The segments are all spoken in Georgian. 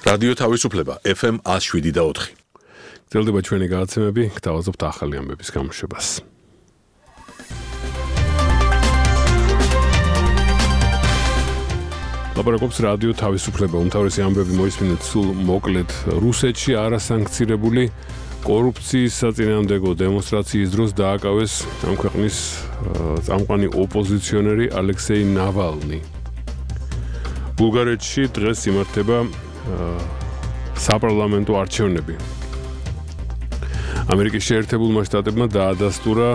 რადიო თავისუფლება FM 107.4. გრძელდება ჩვენი გადაცემები, გთავაზობთ ახალი ამბების გამოშვებას. ლაპარაკობს რადიო თავისუფლება. უმთავრესი ამბები მოისმინეთ სულ მოკლედ. რუსეთში არასანქცირებული კორუფციის საწინააღმდეგო დემონსტრაციის დროს დააკავეს ამ ქვეყნის წამყვანი ოპოზიციონერი ალექსეი ნავალნი. ბულგარეთში დღეს იმართება საპარლამენტო არჩევნები. ამერიკის შეერთებულმა შტატებმა დაადასტურა,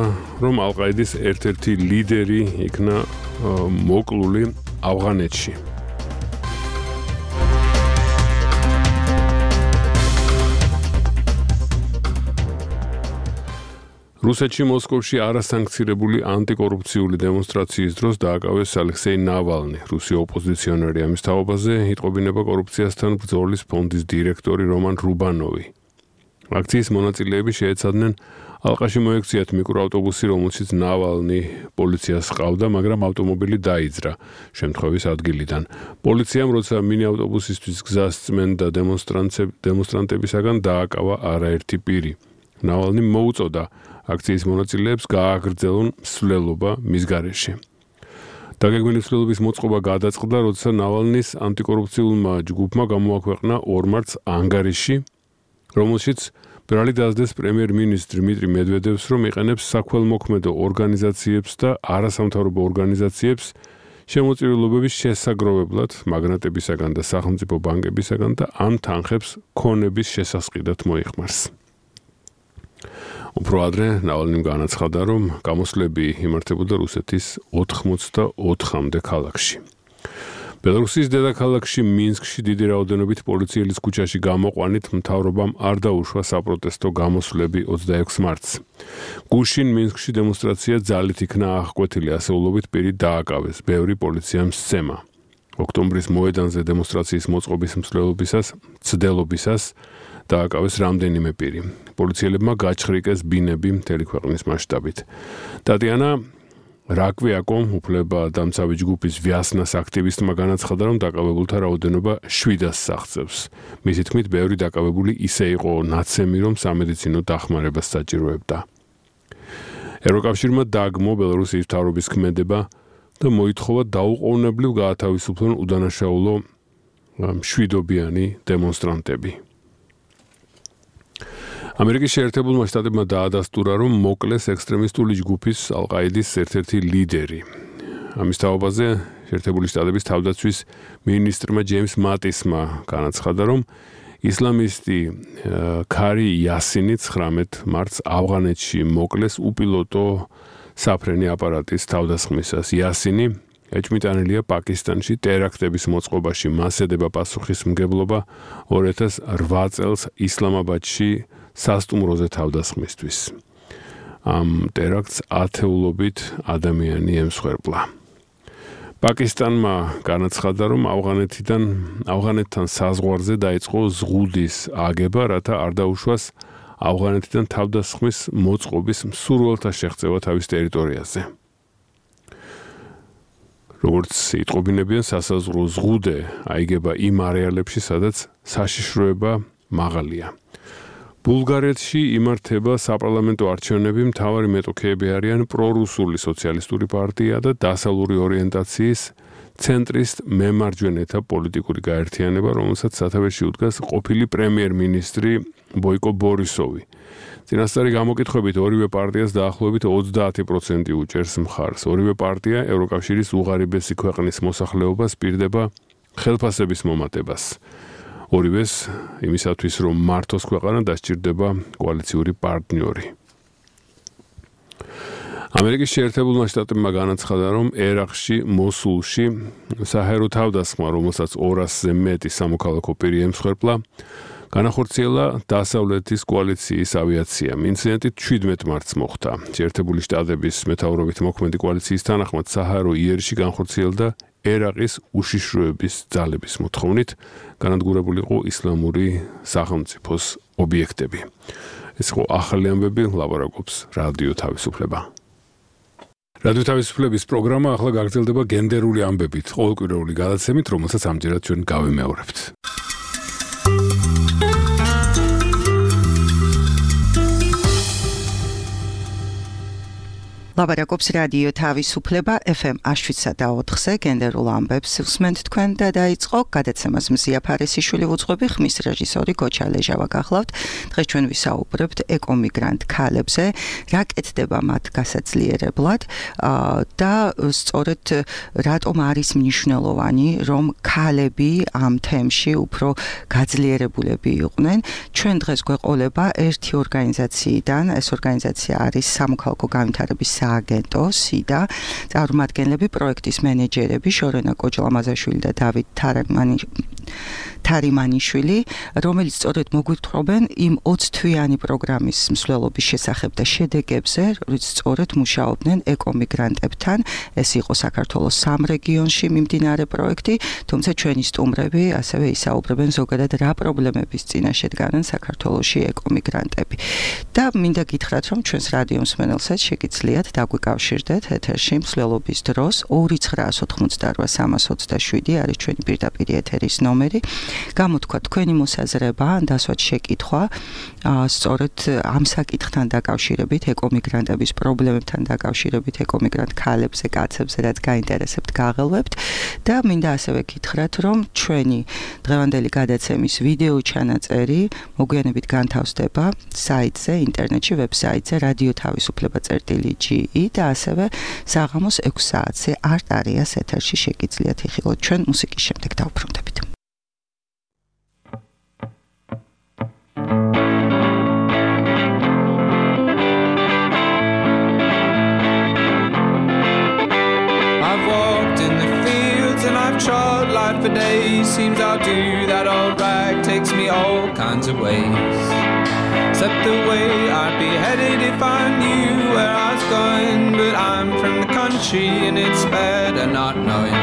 რომ ალ-ყაიდის ერთ-ერთი ლიდერი იქნა მოკლული ავღანეთში. რუსეთში მოსკოვში არასანქცირებული ანტიკორუფციული დემონსტრაციის დროს დააკავეს ალექსეი ნავალნი, რუსი ოპოზიციონერი. ამის თაობაზე იტყობინება კორუფციასთან ბრძოლის ფონდის დირექტორი რომან რუბანოვი. აქციის მონაწილეები შეეცადნენ ალყაში მოექციათ მიკროავტობუსი, რომელშიც ნავალნი პოლიციას ჰყავდა, მაგრამ ავტომობილი დაიძრა შემთხვევის ადგილიდან. პოლიციამ, როცა მინი-ავტობუსისთვის გზას წმენდა დემონსტრანტებისაგან, დააკავა არაერთი პირი. ნავალნი მოუწოდა აქციის მონაწილეებს გააგრძელონ მსვლელობა მის გარეშე. დაგეგმილი მსვლელობის მოწყობა გადაწყდა, როცა ნავალნის ანტიკორუფციულმა ჯგუფმა გამოაქვეყნა 2 მარტს ანგარიში, რომელშიც ბრალი დასდეს პრემიერ-მინისტრ დმიტრი მედვედევს, რომ იყენებს საქველმოქმედო ორგანიზაციებს და არასამთავრობო ორგანიზაციებს შემოწირულობების შესაგროვებლად მაგნატებისაგან და სახელმწიფო ბანკებისაგან და ამ თანხებს ქონების შესასყიდად მოიხმარს. უფრო ადრე ნავალნიმ განაცხადა, რომ გამოსვლები იმართებოდა რუსეთის 84-მდე ქალაქში. ბელარუსის დედაქალაქში მინსკში დიდი რაოდენობით პოლიციელის ქუჩაში გამოყვანით მთავრობამ არ დაუშვა საპროტესტო გამოსვლები 26 მარტს. გუშინ მინსკში დემონსტრაცია ძალით იქნა აღკვეთილი, ასეულობით პირი დააკავეს, ბევრი პოლიციამ სცემა. ოქტომბრის მოედანზე დემონსტრაციის მოწყობის მცდელობისას დააკავეს რამდენიმე პირი. პოლიციელებმა გაჩხრიკეს ბინები მთელი ქვეყნის მასშტაბით. ტატიანა რაკვიაკომ, უფლებადამცავი ჯგუფის ვიასნას აქტივისტმა განაცხადა, რომ დაკავებულთა რაოდენობა 700-ს აღწევს. მისი თქმით, ბევრი დაკავებული ისე იყო ნაცემი, რომ სამედიცინო დახმარებას საჭიროებდა. ევროკავშირმა დაგმო ბელარუსის მთავრობის ქმედება და მოითხოვა დაუყოვნებლივ გაათავისუფლონ უდანაშაულო მშვიდობიანი დემონსტრანტები. ამერიკის შეერთებულმა შტატებმა დაადასტურა, რომ მოკლეს ექსტრემისტული ჯგუფის ალ-ყაიდის ერთ-ერთი ლიდერი. ამის თაობაზე შეერთებული შტატების თავდაცვის მინისტრმა ჯეიმს მატისმა განაცხადა, რომ ისლამისტი ქარი იასინი 19 მარტს ავღანეთში მოკლეს უპილოტო საფრენი აპარატის თავდასხმისას. იასინი ეჭვმიტანილია პაკისტანში ტერაქტების მოწყობაში, მას ედება პასუხისმგებლობა 2008 წელს ისლამაბადში სასტუმროზე თავდასხმისთვის. ამ ტერაქტს ათეულობით ადამიანი ემსხვერპლა. პაკისტანმა განაცხადა, რომ ავღანეთთან საზღვარზე დაიწყო ზღუდის აგება, რათა არ დაუშვას ავღანეთიდან თავდასხმის მოწყობის მსურველთა შეღწევა თავის ტერიტორიაზე. როგორც იტყობინებიან, სასაზღვრო ზღუდე აიგება იმ არეალებში, სადაც საშიშროება მაღალია. ბულგარეთში იმართება საპარლამენტო არჩევნები, მთავარი მეტოქეები არიან პრორუსული სოციალისტური პარტია და დასავლური ორიენტაციის ცენტრისტ მემარჯვენეთა პოლიტიკური გაერთიანება, რომელსაც სათავეში უდგას ყოფილი პრემიერ-მინისტრი ბოიკო ბორისოვი. წინასწარი გამოკითხვებით ორივე პარტიას დაახლოებით 30% უჭერს მხარს. ორივე პარტია ევროკავშირის უღარიბესი ქვეყნის მოსახლეობას პირდება ხელფასების მომატებას. ორივეს იმისათვის, რომ მართოს ქვეყანა, დასჭირდება კოალიციური პარტნიორი. ამერიკის შეერთებულმა შტატებმა განაცხადა, რომ ერაყში, მოსულში საჰაერო თავდასხმა, რომელსაც 200-ზე მეტი სამოქალაქო პირი ემსხვერპლა, განახორციელა დასავლეთის კოალიციის ავიაციამ. ინციდენტი 17 მარტს მოხდა. შეერთებული შტატების მეთაურობით მოქმედი კოალიციის თანახმად საჰაერო იერიში განხორციელდა ერაყის უშიშროების ძალების მოთხოვნით, განადგურებული იყო ისლამური სახელმწიფოს ობიექტები. ეს იყო ახალი ამბები, ლაპარაკობს რადიო თავისუფლება. რადიო თავისუფლების პროგრამა ახლა გაგრძელდება გენდერული ამბებით, ყოველკვირეული გადაცემით, რომელსაც ამჯერად ჩვენ გავიმეორებთ. ლაპარაკობს რადიო თავისუფლება FM 7/4-ზე გენდერულ ამბებს უსმენთ თქვენ და დაიწყო გადაცემას მზია ფარესიშვილი უძღვები, ხმის რეჟისორი გოჩა ლეჟავა გახლავთ. დღეს ჩვენ ვისაუბრებთ ეკომიგრანტ ქალებზე, რა კეთდება მათ გასაძლიერებლად და სწორედ რატომ არის მნიშვნელოვანი, რომ ქალები ამ თემში უფრო გაძლიერებულები იყვნენ. ჩვენ დღეს გვეყოლება ერთი ორგანიზაციიდან, ეს ორგანიზაცია არის სამოქალაქო განვითარების სააგენტო სიდა, წარმომადგენლები პროექტის მენეჯერები შორენა კოჯლამაზაშვილი და დავით თარიმანიშვილი, რომელიც სწორედ მოგვითხობენ იმ 20 თვიანი პროგრამის მსვლელობის შესახებ და შედეგებზე, რომელიც სწორედ მუშაობდნენ ეკომიგრანტებთან. ეს იყო საქართველოს 3 რეგიონში მიმდინარე პროექტი, თუმცა ჩვენი სტუმრები ასევე ისაუბრებენ ზოგადად რა პრობლემების წინაშე დგანან საქართველოში ეკომიგრანტები. და მინდა გითხრათ, რომ ჩვენს რადიო მსმენელსაც შეგიძლიათ დაგვიკავშირდეთ ეთერში მსვლელობის დროს 2988327 არის ჩვენი პირდაპირ ეთერის ნომერი. გამოთქვა თქვენი მოსაზრება, დასვათ შეკითხვა, სწორედ ამ საკითხთან დაკავშირებით, ეკომიგრანტების პრობლემებთან დაკავშირებით, ეკომიგრანტ ქალებზე, კაცებზე, რაც გაინტერესებთ, გაღელვებთ და მინდა ასევე გითხრათ, რომ ჩვენი დღევანდელი გადაცემის ვიდეო ჩანაწერი მოგვიანებით განთავსდება საიტზე, ინტერნეტში, ვებსაიტზე radiotavisufleba.ge და ასევე საღამოს 6 საათზე არტარიას ეთერში შეგიძლიათ იხილოთ. ჩვენ მუსიკის შემდეგ დავბრუნდებით. Trod life for days, seems I'll do that old rag, takes me all kinds of ways. Except the way I'd be headed if I knew where I was going. But I'm from the country and it's better not knowing.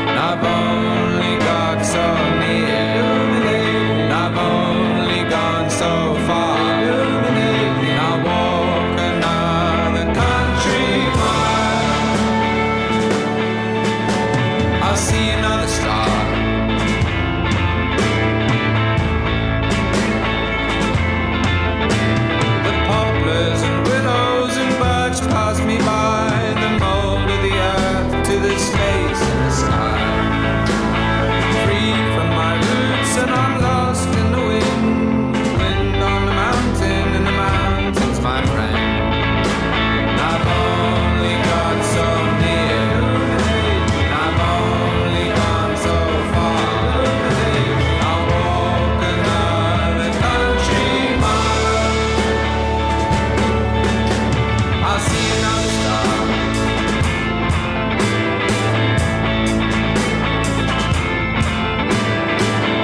And I've only got so near, and I've only gone so far. And I walk another country mile. I'll see another star. The poplars and willows and birch pass me by, the mold of the earth to the space in the sky. Free from my roots and I'm lost in the wind, wind on the mountain and the mountain's my friend. And I've only got so near, and I've only gone so far. I'll walk another country mile. I'll see another star.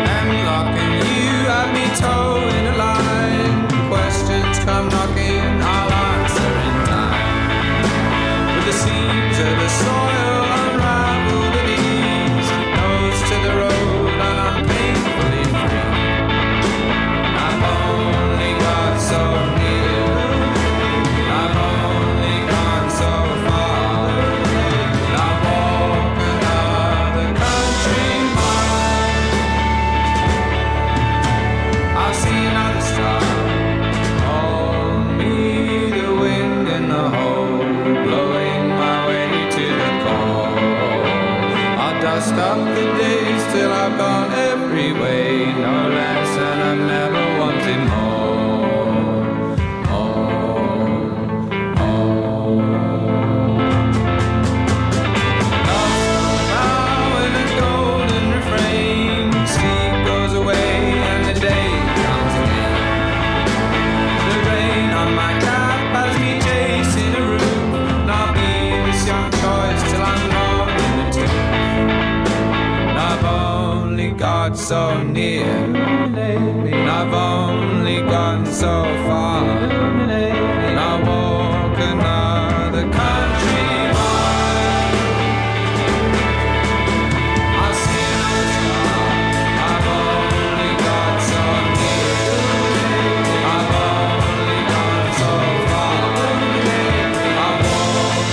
Hemlock and you have me towing a line. Questions come knocking, I'll answer in time. With the seams of the soil unravel the leaves, nose to the road and I'm painfully free. I've only got so near, I've only gone so far. I'll walk another country mile. I'll see another star. Call me the wind in the hole, blowing my way to the core. I'll dust up the days till I've gone every way, no less, and I've never wanted more. Now in a golden refrain, sleep goes away and the day comes again. The rain on my cap has me chasing a roof, and I'll be this young choice till I'm gone in the tomb. And I've only got so near, and I've only gone so far. And I'll walk another country mile. I'll see another star. I've only got so near, I've only gone so far. I'll walk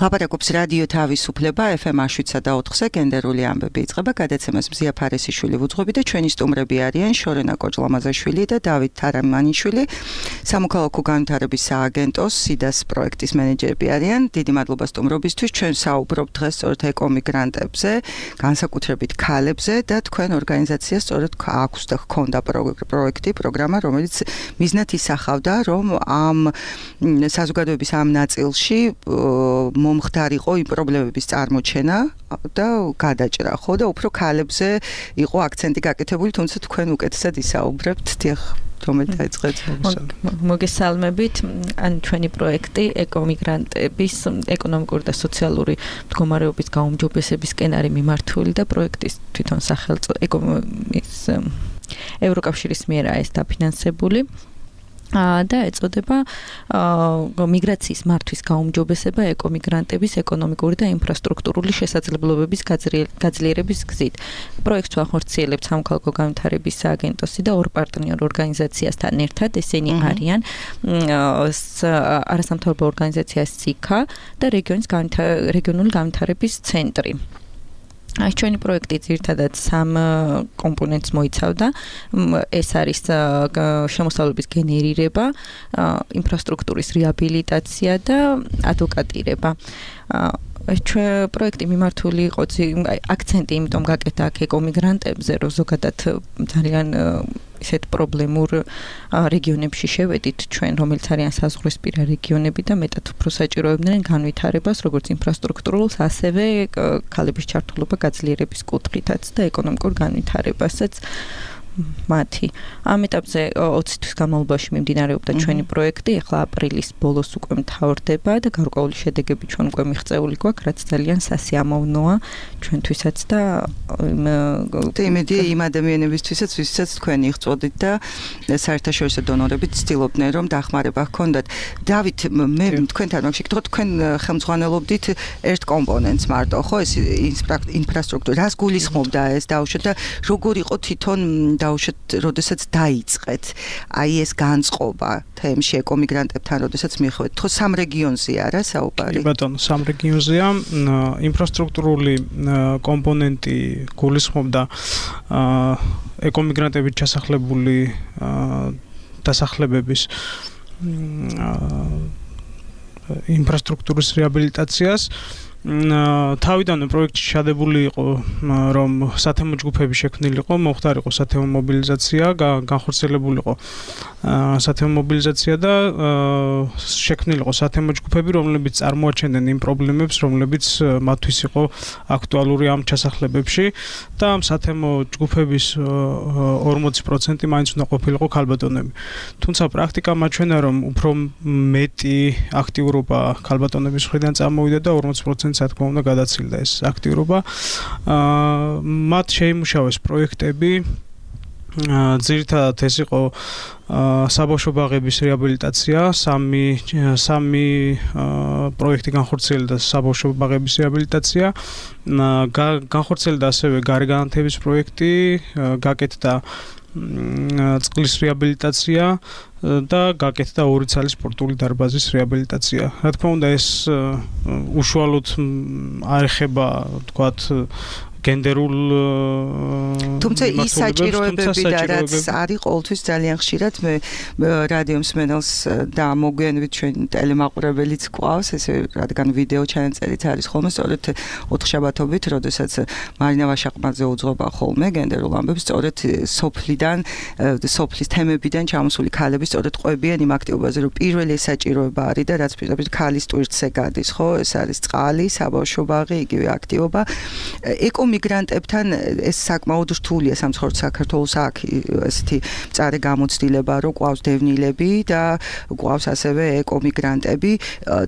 ლაპარაკობს რადიო თავისუფლება FM 7.4-ზე გენდერული ამბები იწყება გადაცემას მზია ფარესიშვილი ვუძღვები და ჩვენი სტუმრები არიან შორენა კოჯლამაზაშვილი და დავით თარამანიშვილი სამოქალაქო განვითარების სააგენტოს SIDA-ს პროექტის მენეჯერები არიან. დიდი მადლობა სტუმრობისთვის. ჩვენ საუბრობთ დღეს სწორედ ეკომიგრანტებზე, განსაკუთრებით ქალებზე და თქვენ ორგანიზაციას სწორედ აქვს და ჰქონდა პროგრამა, რომელიც მიზნად ისახავდა, რომ ამ საზოგადოების ამ ნაწილში მომხდარიყო იმ პრობლემების წარმოჩენა და გადაჭრა, ხო და უფრო ქალებზე იყო აქცენტი გაკეთებული, თუმცა თქვენ უკეთესად ისაუბრებთ. დიახ, რომელი დაიწყეთ? მოგესალმებით. ან ჩვენი პროექტი ეკომიგრანტების ეკონომიკური და სოციალური მდგომარეობის გაუმჯობესების სკენარი მიმართული და პროექტის თვითონ სახელწოდება ევროკავშირის მიერაა ეს დაფინანსებული. და ეწოდება მიგრაციის მართვის გაუმჯობესება ეკომიგრანტების ეკონომიკური და ინფრასტრუქტურული შესაძლებლობების გაძლიერების გზით. პროექტს ახორციელებთ სამოქალაქო განვითარების სააგენტოსი და ორ პარტნიორ ორგანიზაციასთან ერთად, ესენი არიან არასამთავრობო ორგანიზაცია SICA და რეგიონული განვითარების ცენტრი. Այս ჩვენი პროექტი ძირითადად სამ კომპონენტს მოიცავდა. ეს არის შემოსავლების გენერირება, ინფრასტრუქტურის რეაბილიტაცია და ადვოკატირება. პროექტი მიმართული იყო აქცენტი იმიტომ გაკეთა აქ ეკომიგრანტებზე, რომ ზოგადად ძალიან ისეთ პრობლემურ რეგიონებში შევედით ჩვენ, რომელიც არიან საზღვრისპირა რეგიონები და მეტად უფრო საჭიროებდნენ განვითარებას, როგორც ინფრასტრუქტურულს, ასევე ქალების ჩართულობა გაძლიერების კუთხითაც და ეკონომიკურ განვითარებასაც მათი. ამ ეტაპზე 20 თვის განმავლობაში მიმდინარეობდა ჩვენი პროექტი, ახლა აპრილის ბოლოს უკვე მთავრდება და გარკვეული შედეგები ჩვენ უკვე მიღწეული გვაქვს, რაც ძალიან სასიამოვნოა ჩვენთვისაც და იმედი იმ ადამიანებისთვისაც, ვისაც თქვენ იღწოდით და საერთაშორისო დონორებით ცდილობდნენ, რომ დახმარება ჰქონდათ. დავით, მე თქვენთან მაგ შეკითხოთ, თქვენ ხელმძღვანელობდით ერთ კომპონენტს მარტო, ხო, ეს ინფრასტრუქტურა, რას გულისხმობდა ეს დაუშვათ და როგორ იყო თვითონ დაუშვათ, როდესაც დაიწყეთ აი ეს განწყობა თემში ეკომიგრანტებთან, როდესაც მიხვედით, ხო სამ რეგიონზე არა საუბარი? კი ბატონო, სამ რეგიონზეა. ინფრასტრუქტურული კომპონენტი გულისხმობდა ეკომიგრანტებით ჩასახლებული დასახლებების ინფრასტრუქტურის რეაბილიტაციას. თავიდანვე პროექტი ჩადებული იყო, რომ სათემო ჯგუფები შექმნილიყო, მოხდარიყო სათემო მობილიზაცია, განხორციელებულიყო სათემო მობილიზაცია და შექმნილიყო სათემო ჯგუფები, რომლებიც წარმოაჩენდნენ იმ პრობლემებს, რომლებიც მათთვის იყო აქტუალური ამ ჩასახლებებში და ამ სათემო ჯგუფების 40% მაინც უნდა ყოფილიყო ქალბატონები. თუმცა პრაქტიკა მაჩვენა, რომ უფრო მეტი აქტიურობა ქალბატონების მხრიდან წამოვიდა და 40% რა თქმა უნდა გადაცილდა ეს აქტიურობა. მათ შეიმუშავეს პროექტები. ძირითადად ეს იყო საბავშვო ბაღების რეაბილიტაცია, სამი პროექტი განხორციელდა საბავშვო ბაღების რეაბილიტაცია. განხორციელდა ასევე გარეგანათების პროექტი, გაკეთდა წყლის რეაბილიტაცია და გაკეთდა ორი ცალის სპორტული დარბაზის რეაბილიტაცია. რა თქმა უნდა ეს უშუალოდ არ ეხება, თქვათ, გენდერულ თუმცა ის საჭიროებები და რაც არის ყოველთვის ძალიან ხშირად მე რადიო მსმენელს და მოგვიანებით ჩვენ ტელემაყურებელიც გვყავს, ესე რადგან ვიდეო ჩანაწერიც არის ხოლმე სწორედ ოთხშაბათობით, როდესაც მარინა ვაშაყმაძე უძღვება ხოლმე გენდერულ ამბებს, სწორედ სოფლის თემებიდან ჩამოსული ქალები სწორედ ყვებიან იმ აქტივობაზე, რომ პირველი საჭიროება არის და რაც პირდაპირ ქალის ტვირთზე გადის, ხო, ეს არის წყალი, საბავშვო ბაღი, იგივე აქტივობა. ეკომიგრანტებთან ეს საკმაოდ რთულია სამცხეოთ საქართველოს აქ ესეთი მწარე გამოცდილება, რომ ყავს დევნილები და ყავს ასევე ეკომიგრანტები.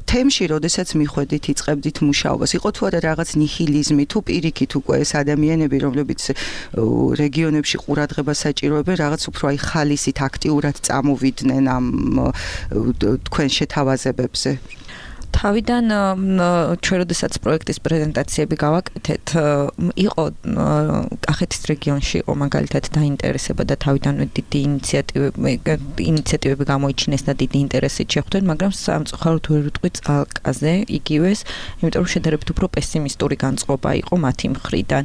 თემში, როდესაც მიხვედით, იწყებდით მუშაობას, იყო თუ არა რაღაც ნიჰილიზმი, თუ პირიქით უკვე ეს ადამიანები, რომლებიც რეგიონებში ყურადღებას საჭიროებენ, რაღაც უფრო აი ხალისით აქტიურად წამოვიდნენ ამ თქვენ შეთავაზებებზე? თავიდან ჩვენ როდესაც პროექტის პრეზენტაციები გავაკეთეთ, იყო კახეთის რეგიონში იყო მაგალითად დაინტერესება და თავიდანვე დიდი ინიციატივები გამოიჩინეს და დიდი ინტერესით შეხვდნენ, მაგრამ სამწუხაროდ ვერ ვიტყვი წალკაზე იგივეს, იმიტომ რომ შედარებით უფრო პესიმისტური განწყობა იყო მათი მხრიდან.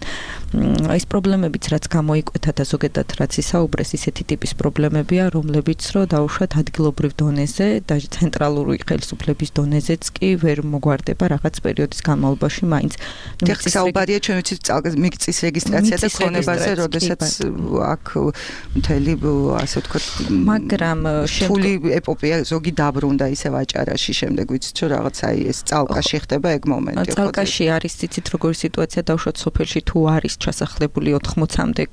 ეს პრობლემებიც რაც გამოიკვეთა და ზოგადად რაც ისაუბრეს, ისეთი ტიპის პრობლემებია, რომლებიც რო დაუშვათ ადგილობრივ დონეზე და ცენტრალური ხელისუფლების დონეზეც კი ვერ მოგვარდება რაღაც პერიოდის განმავლობაში მაინც. საუბარია ჩვენ ვიცით წალკაზე მიწის რეგისტრაცია და ქონებაზე, როდესაც აქ მთელი ასე ვთქვათ, მაგრამ ფული ეპოპეა ზოგი დაბრუნდა ისევ აჭარაში, შემდეგ ვიცით რომ რაღაც აი ეს წალკაში ხდება ეგ მომენტი. წალკაში არის ციცით როგორი სიტუაცია დაუშვათ სოფელში თუ არის ჩასახლებული 80-მდე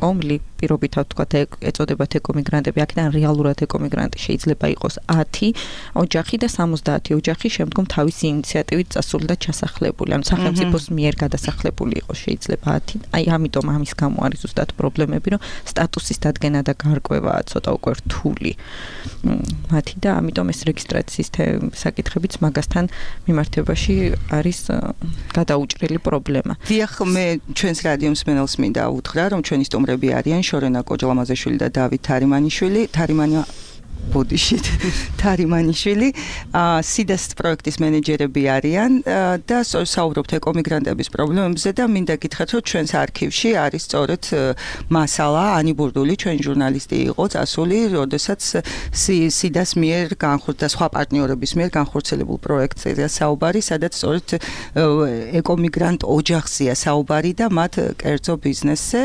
კომლი, პირობითად ვთქვათ ეწოდებათ ეკომიგრანტები, აქედან რეალურად ეკომიგრანტი შეიძლება იყოს 10 ოჯახი და 70 ოჯახი შემდგომ თავისი ინიციატივით წასული და ჩასახლებული, ანუ სახელმწიფოს მიერ გადასახლებული იყოს შეიძლება 10. აი ამიტომ ამის გამო არის ზუსტად პრობლემები, რომ სტატუსის დადგენა და გარკვევა ცოტა უკვე რთული მათი და ამიტომ ეს რეგისტრაციის საკითხებიც მაგასთან მიმართებაში არის გადაუჭრელი პრობლემა. დიახ, მე ჩვენს რადიოს მსმენელს მინდა უთხრა, რომ ჩვენი სტუმრები არიან შორენა კოჯლამაზეშვილი და დავით თარიმანიშვილი, სიდას პროექტის მენეჯერები არიან და საუბრობთ ეკომიგრანტების პრობლემებზე და მინდა გითხრათ, რომ ჩვენს არქივში არის სწორედ მასალა, ანი ბურდული, ჩვენი ჟურნალისტი იყო წასული, როდესაც სიდას მიერ და სხვა პარტნიორების მიერ განხორციელებულ პროექტზეა საუბარი, სადაც სწორედ ეკომიგრანტ ოჯახზეა საუბარი და მათ კერძო ბიზნესზე.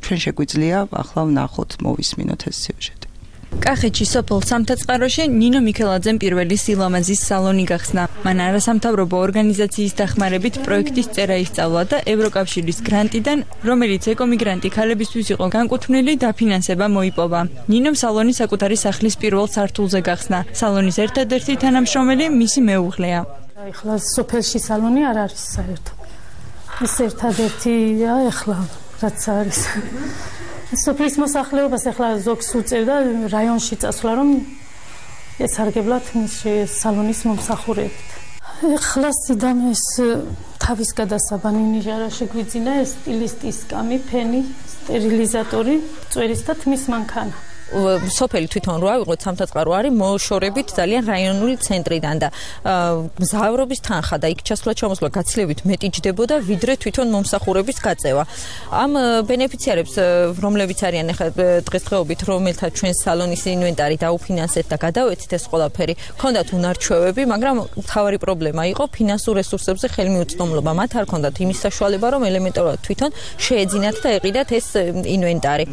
ჩვენ შეგვიძლია ახლა ვნახოთ, მოვისმინოთ ეს სიუჟეტი. კახეთში სოფელ სამთაწყაროში ნინო მიქელაძემ პირველი სილამაზის სალონი გახსნა. მან არასამთავრობო ორგანიზაციის დახმარებით პროექტის წერა ისწავლა და ევროკავშირის გრანტიდან, რომელიც ეკომიგრანტი ქალებისთვის იყო განკუთვნილი, დაფინანსება მოიპოვა. ნინომ სალონი საკუთარი სახლის პირველ სართულზე გახსნა. სალონის ერთადერთი თანამშრომელი მისი მეუღლეა. ეხლა სოფელში სალონი არ არის საერთოდ. ეს ერთადერთია ეხლა რაც არის. სოფლის მოსახლეობას ახლა ზოგს უწევდა რაიონში წასვლა, რომ ესარგებლათ მის სალონის მომსახურებით. ახლა სიდამეს თავის გადასაბანი ნიჟარა შეგვიძინა, ეს სტილისტის კამი, ფენი, სტერილიზატორი, წვერის და თმის მანქანა. სოფელი თვითონ რო ავიღოთ სამთაწყარო არის მოშორებით ძალიან რაიონული ცენტრიდან და მგზავრობის თანხა და იქ ჩასვლა-ჩამოსვლა გაცილებით მეტი ჯდებოდა ვიდრე თვითონ მომსახურების გაწევა. ამ ბენეფიციარებს, რომლებიც არიან ახლა დღესდღეობით, რომელთა ჩვენ სალონის ინვენტარი დაუფინანსეთ და გადავეცით ეს ყველაფერი, ჰქონდათ უნარჩვევები, მაგრამ მთავარი პრობლემა იყო ფინანსურ რესურსებზე ხელმიუწვდომლობა. მათ არ ჰქონდათ იმის საშუალება, რომ ელემენტარულად თვითონ შეეძინათ და ეყიდათ ეს ინვენტარი.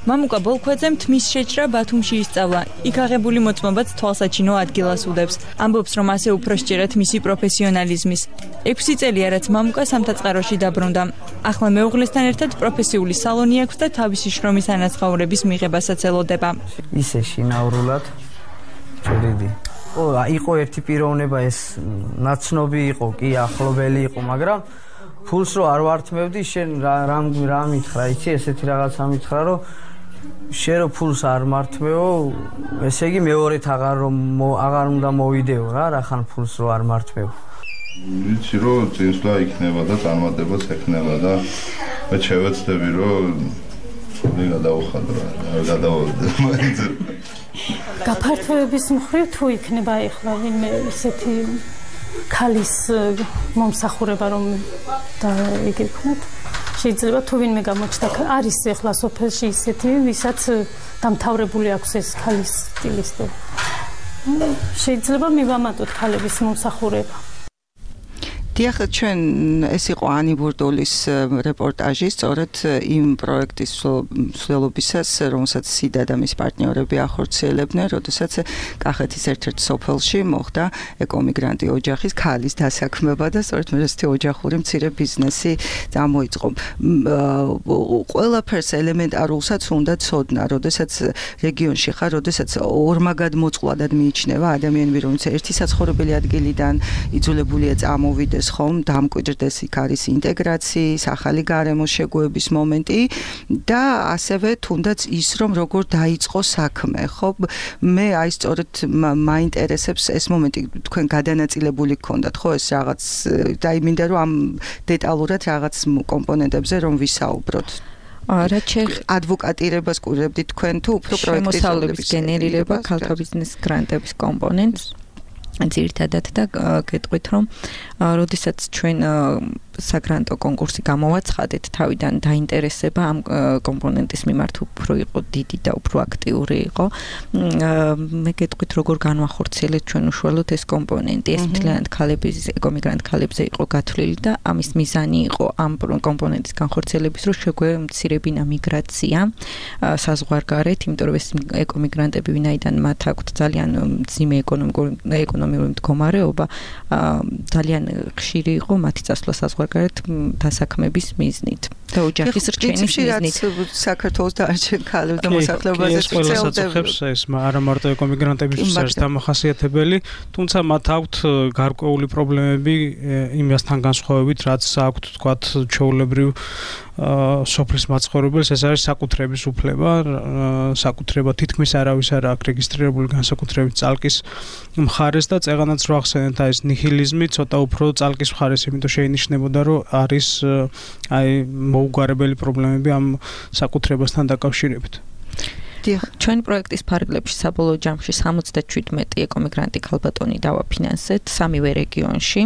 მამუკა ბოლქვაძემ თმის შეჭრა ბათუმში ისწავლა. იქ აღებული მოწმობაც თვალსაჩინო ადგილას უდევს. ამბობს, რომ ასე უფრო სჯერათ მისი პროფესიონალიზმის. 6 წელია, რაც მამუკა სამთაწყაროში დაბრუნდა. ახლა მეუღლესთან ერთად პროფესიული სალონი აქვს და თავისი შრომის ანაზღაურების მიღებასაც ელოდება. ისე შინაურულად ჭრიდი. იყო ერთი პიროვნება, ეს ნაცნობი იყო, კი ახლობელი იყო, მაგრამ ფულს რო არ ვართმევდი, შენ რა მითხრა, იცი, ესეთი რაღაცა მითხრა, რომ შენ რო ფულს არ მართმევო, ესე იგი მეორეთ აღარ უნდა მოვიდეო რა, რახან ფულს რო არ მართმევ. ვიცი რომ წინსვლა იქნება და წარმატებაც ექნება და მე შევეცდები რომ მე გადავხადო რა, გადავოდე მაინც. გაფართოების მხრივ თუ იქნება ახლა ვინმე ისეთი ქალის მომსახურება რომ და იგი ვქნათ, შეიძლება თუ ვინმე გამოჩნდა, არის ახლა სოფელში ისეთი, ვისაც დამთავრებული აქვს ეს ქალის სტილისტები. შეიძლება მივამატოთ ქალების მომსახურება. დიახ, ჩვენ ეს იყო ანი ბურდოლის რეპორტაჟი სწორედ იმ პროექტის მსვლელობისას, რომელსაც სიდა და მის პარტნიორები ახორციელებდნენ, როდესაც კახეთის ერთ-ერთ სოფელში მოხდა ეკომიგრანტი ოჯახის ქალის დასაქმება და სწორედ ესეთი ოჯახური მცირე ბიზნესი წამოიწყო. ყველაფერს ელემენტარულსაც უნდა ცოდნა, როდესაც რეგიონში ხარ, როდესაც ორმაგად მოწყვლადად მიიჩნევა ადამიანები, რომელიც ერთი საცხოვრებელი ადგილიდან იძულებულია წამოვიდეს მოხდეს ხომ, დამკვიდრდეს იქ არის ინტეგრაციის, ახალი გარემოს შეგუების მომენტი და ასევე თუნდაც ის რომ როგორ დაიწყო საქმე, ხო? მე აი სწორედ მაინტერესებს ეს მომენტი თქვენ გადანაწილებული გქონდათ, ხო, ეს რაღაც და მინდა რომ ამ დეტალურად რაღაც კომპონენტებზე რომ ვისაუბროთ. რაც ადვოკატირებას კურებდით თქვენ თუ უფრო პროექტის შემოსავლების გენერირება, ქალთა ბიზნეს გრანტების კომპონენტს ძირითადად და გეტყვით რომ როდესაც ჩვენ საგრანტო კონკურსი გამოვაცხადეთ, თავიდან დაინტერესება ამ კომპონენტის მიმართ უფრო იყო დიდი და უფრო აქტიური იყო. მე გეტყვით როგორ განვახორციელეთ ჩვენ უშუალოდ ეს კომპონენტი. ეს მთლიანად ქალების ეკომიგრანტ ქალებზე იყო გათვლილი და ამის მიზანი იყო ამ კომპონენტის განხორციელების, რომ შეგვემცირებინა მიგრაცია საზღვარგარეთ, იმიტომ რომ ეს ეკომიგრანტები ვინაიდან მათ აქვთ ძალიან მძიმე ეკონომიკური მდგომარეობა, ძალიან ხშირი იყო მათი წასვლა საზღვარგარეთ დასაქმების მიზნით. და ოჯახის რჩენის მიზნით. საქართველოს დანარჩენ ქალებს და მოსახლეობაზე წელდებს ეს არა მარტო ეკომიგრანტებისთვის არის დამახასიათებელი, თუმცა მათ აქვთ გარკვეული პრობლემები იმასთან განსხვავებით, რაც აქვთ თქვათ ჩვეულებრივ სოფლის მაცხოვრებელს, ეს არის საკუთრების უფლება, საკუთრება თითქმის არავის არ აქვს რეგისტრირებული განსაკუთრებით წალკის მხარეს და წეღანაც რო ახსენეთ ეს ნიჰილიზმი ცოტა უფრო წალკის მხარეს, იმიტომ შეინიშნებოდა რომ არის აი მოუგვარებელი პრობლემები ამ საკუთრებასთან დაკავშირებით. ჩვენ პროექტის ფარგლებში საბოლოო ჯამში 77 ეკომიგრანტი ქალბატონი დავაფინანსეთ სამივე რეგიონში.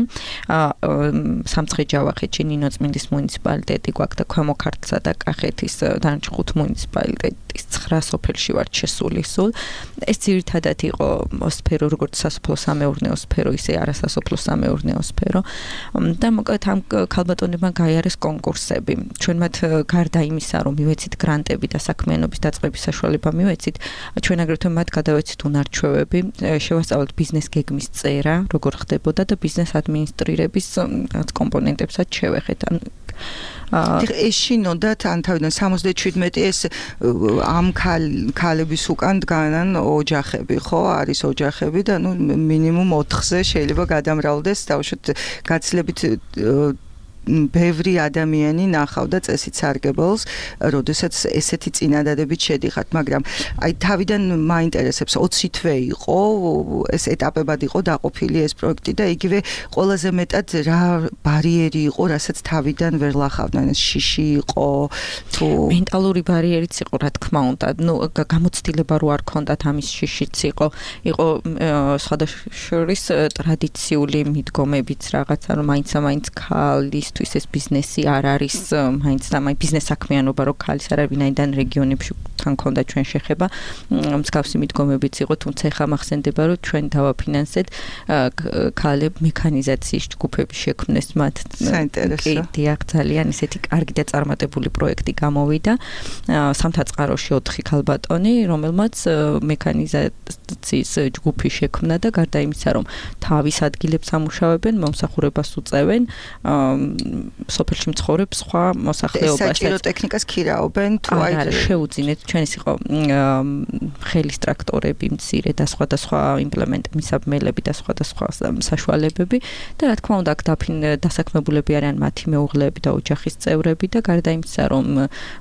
სამცხე-ჯავახეთში ნინოწმინდის მუნიციპალიტეტი გვაქვს და ქვემო ქართლსა და კახეთის დანარჩენ 5 მუნიციპალიტეტის 9 სოფელში ვართ შესული სულ. ეს ძირითადად იყო სფერო, როგორც სასოფლო-სამეურნეო სფერო, ისე არასასოფლო-სამეურნეო სფერო. და მოკლედ ამ ქალბატონებმა გაიარეს კონკურსები. ჩვენ მათ გარდა იმისა, რომ მივეცით გრანტები და საქმიანობის დაწყების საშუალება მივეცით, ჩვენ აგრეთვე მათ გადავეცით უნარჩვევები, შევასწავლეთ ბიზნეს გეგმის წერა, როგორ ხდებოდა და ბიზნეს ადმინისტრირების კომპონენტებსაც შევეხეთ. ეს შინოდათ ან თავიდან 77 ეს ამ ქალების უკან დგანან ოჯახები, ხო? არის ოჯახები და ნუ მინიმუმ 4-ზე შეიძლება გადამრავლდეს, დავუშვათ გაცილებით ბევრი ადამიანი ნახავდა წესით სარგებელს, როდესაც ესეთი წინადადებით შედიხართ, მაგრამ აი თავიდან მაინტერესებს 20 თვე იყო, ეს ეტაპებად იყო დაყოფილი ეს პროექტი და იგივე ყველაზე მეტად რა ბარიერი იყო, რასაც თავიდან ვერ ლახავდნენ, ეს შიში იყო თუ მენტალური ბარიერიც იყო, რა თქმა უნდა, ნუ გამოცდილება რო არ ქონდათ ამის შიშიც იყო სხვადასხვა ტრადიციული მიდგომებიც რაღაცა, რომ მაინც ქალის ეს ბიზნესი არ არის მაინც და მაინც ბიზნეს საქმიანობა რო ქალის არ არის, ვინაიდან რეგიონებში თან ქონდა ჩვენ შეხება, მსგავსი მიდგომებიც იყო, თუმცა ახლა მახსენდება რომ ჩვენ დავაფინანსეთ ქალებ მექანიზაციის ჯგუფები შექმნეს მათ. საინტერესო. დიახ, ძალიან ისეთი კარგი და წარმატებული პროექტი გამოვიდა. სამთაწყაროში 4 ქალბატონი, რომელმაც მექანიზაციის ჯგუფი შექმნა და გარდა იმისა, რომ თავის ადგილებს ამუშავებენ, მომსახურებას უწევენ, სოფელში მცხოვრებ სხვა მოსახლეობასაც. საჭირო ტექნიკას ქირაობენ თუ აი შეუძინეთ, ჩვენ ის იყო ხელის ტრაქტორები, მცირე და სხვადასხვა იმპლემენტები, საბმელები და სხვადასხვა საშუალებები და რა თქმა უნდა აქ დასაქმებულები არიან მათი მეუღლეები და ოჯახის წევრები და გარდა იმისა, რომ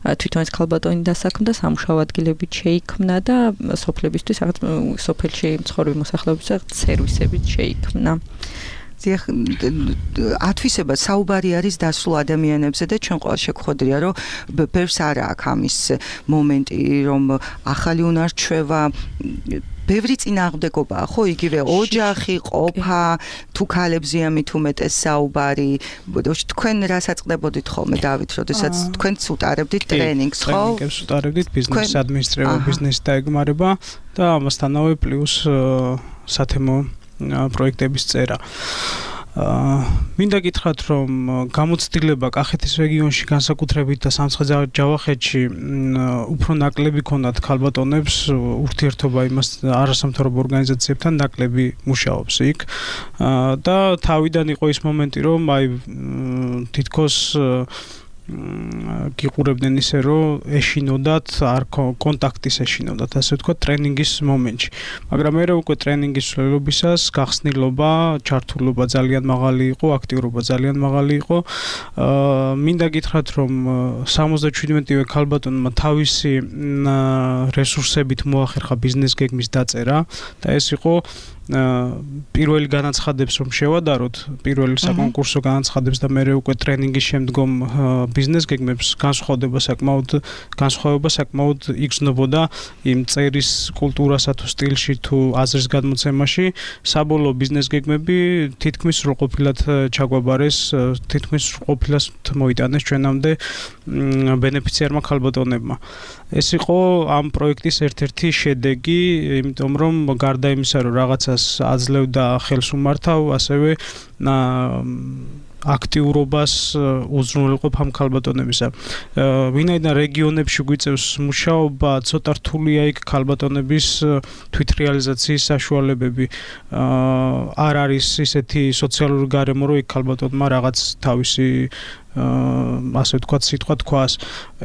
თვითონ ეს ქალბატონი დასაქმდა, სამუშაო ადგილებიც შეიქმნა და სოფლებისთვის რაღაც სოფელში მცხოვრები მოსახლეობისთვის სერვისებიც შეიქმნა. ათვისება საუბარი არის დასულ ადამიანებზე და ჩვენ ყველა შეგხვედრია რომ ბევრს არა აქვს ამის მომენტი რომ ახალი უნარჩვევა ბევრი წინააღმდეგობაა, ხო, იგივე ოჯახი, ყოფა, თუ ქალებზეა მით უმეტეს საუბარი. თქვენ რა საწყდებოდით ხოლმე დავით, როდესაც თქვენც უტარებდით ტრენინგს, ხო? ტრენინგებს უტარებდით ბიზნეს ადმინისტრირება, ბიზნეს დაეგმარება და ამასთანავე პლუს სათემო პროექტების წერა. მინდა გითხრათ, რომ გამოცდილება კახეთის რეგიონში განსაკუთრებით და სამცხე-ჯავახეთში უფრო ნაკლები ქონდათ ქალბატონებს, ურთიერთობა იმას არასამთავრობო ორგანიზაციებთან ნაკლები მუშაობს იქ და თავიდან იყო ის მომენტი, რომ აი თითქოს გიყურებდნენ ისე რომ ეშინოდათ არ კონტაქტის ეშინოდათ ასე ვთქვათ ტრენინგის მომენტში მაგრამ მე უკვე ტრენინგის სრულობისას გახსნილობა ჩართულობა ძალიან მაღალი იყო აქტიურობა ძალიან მაღალი იყო მინდა გითხრათ რომ 77-ვე ქალბატონმა თავისი რესურსებით მოახერხა ბიზნეს გეგმის დაწერა და ეს იყო პირველი განაცხადებს რომ შევადაროთ პირველი საკონკურსო განაცხადებს და მე უკვე ტრენინგის შემდგომ ბიზნეს გეგმებს განსხვავება საკმაოდ იგრძნობოდა იმ წერის კულტურასა თუ სტილში თუ აზრის გადმოცემაში საბოლოო ბიზნეს გეგმები თითქმის სრულყოფილად ჩაგვაბარეს თითქმის სრულყოფილად მოიტანეს ჩვენამდე ბენეფიციარმა ქალბატონებმა ეს იყო ამ პროექტის ერთ-ერთი შედეგი იმიტომ რომ გარდა იმისა რომ რაღაცას აძლევდა ხელს უმართავ ასევე აქტიურობას უზრუნველყოფ ამ ქალბატონებისა. ვინაიდან რეგიონებში გვიწევს მუშაობა, ცოტა რთულია იქ ქალბატონების თვითრეალიზაციის საშუალებები. არ არის ისეთი სოციალური გარემო, რომ იქ ქალბატონმა რაღაც თავისი ასე ვთქვათ, სიტყვა თქვას.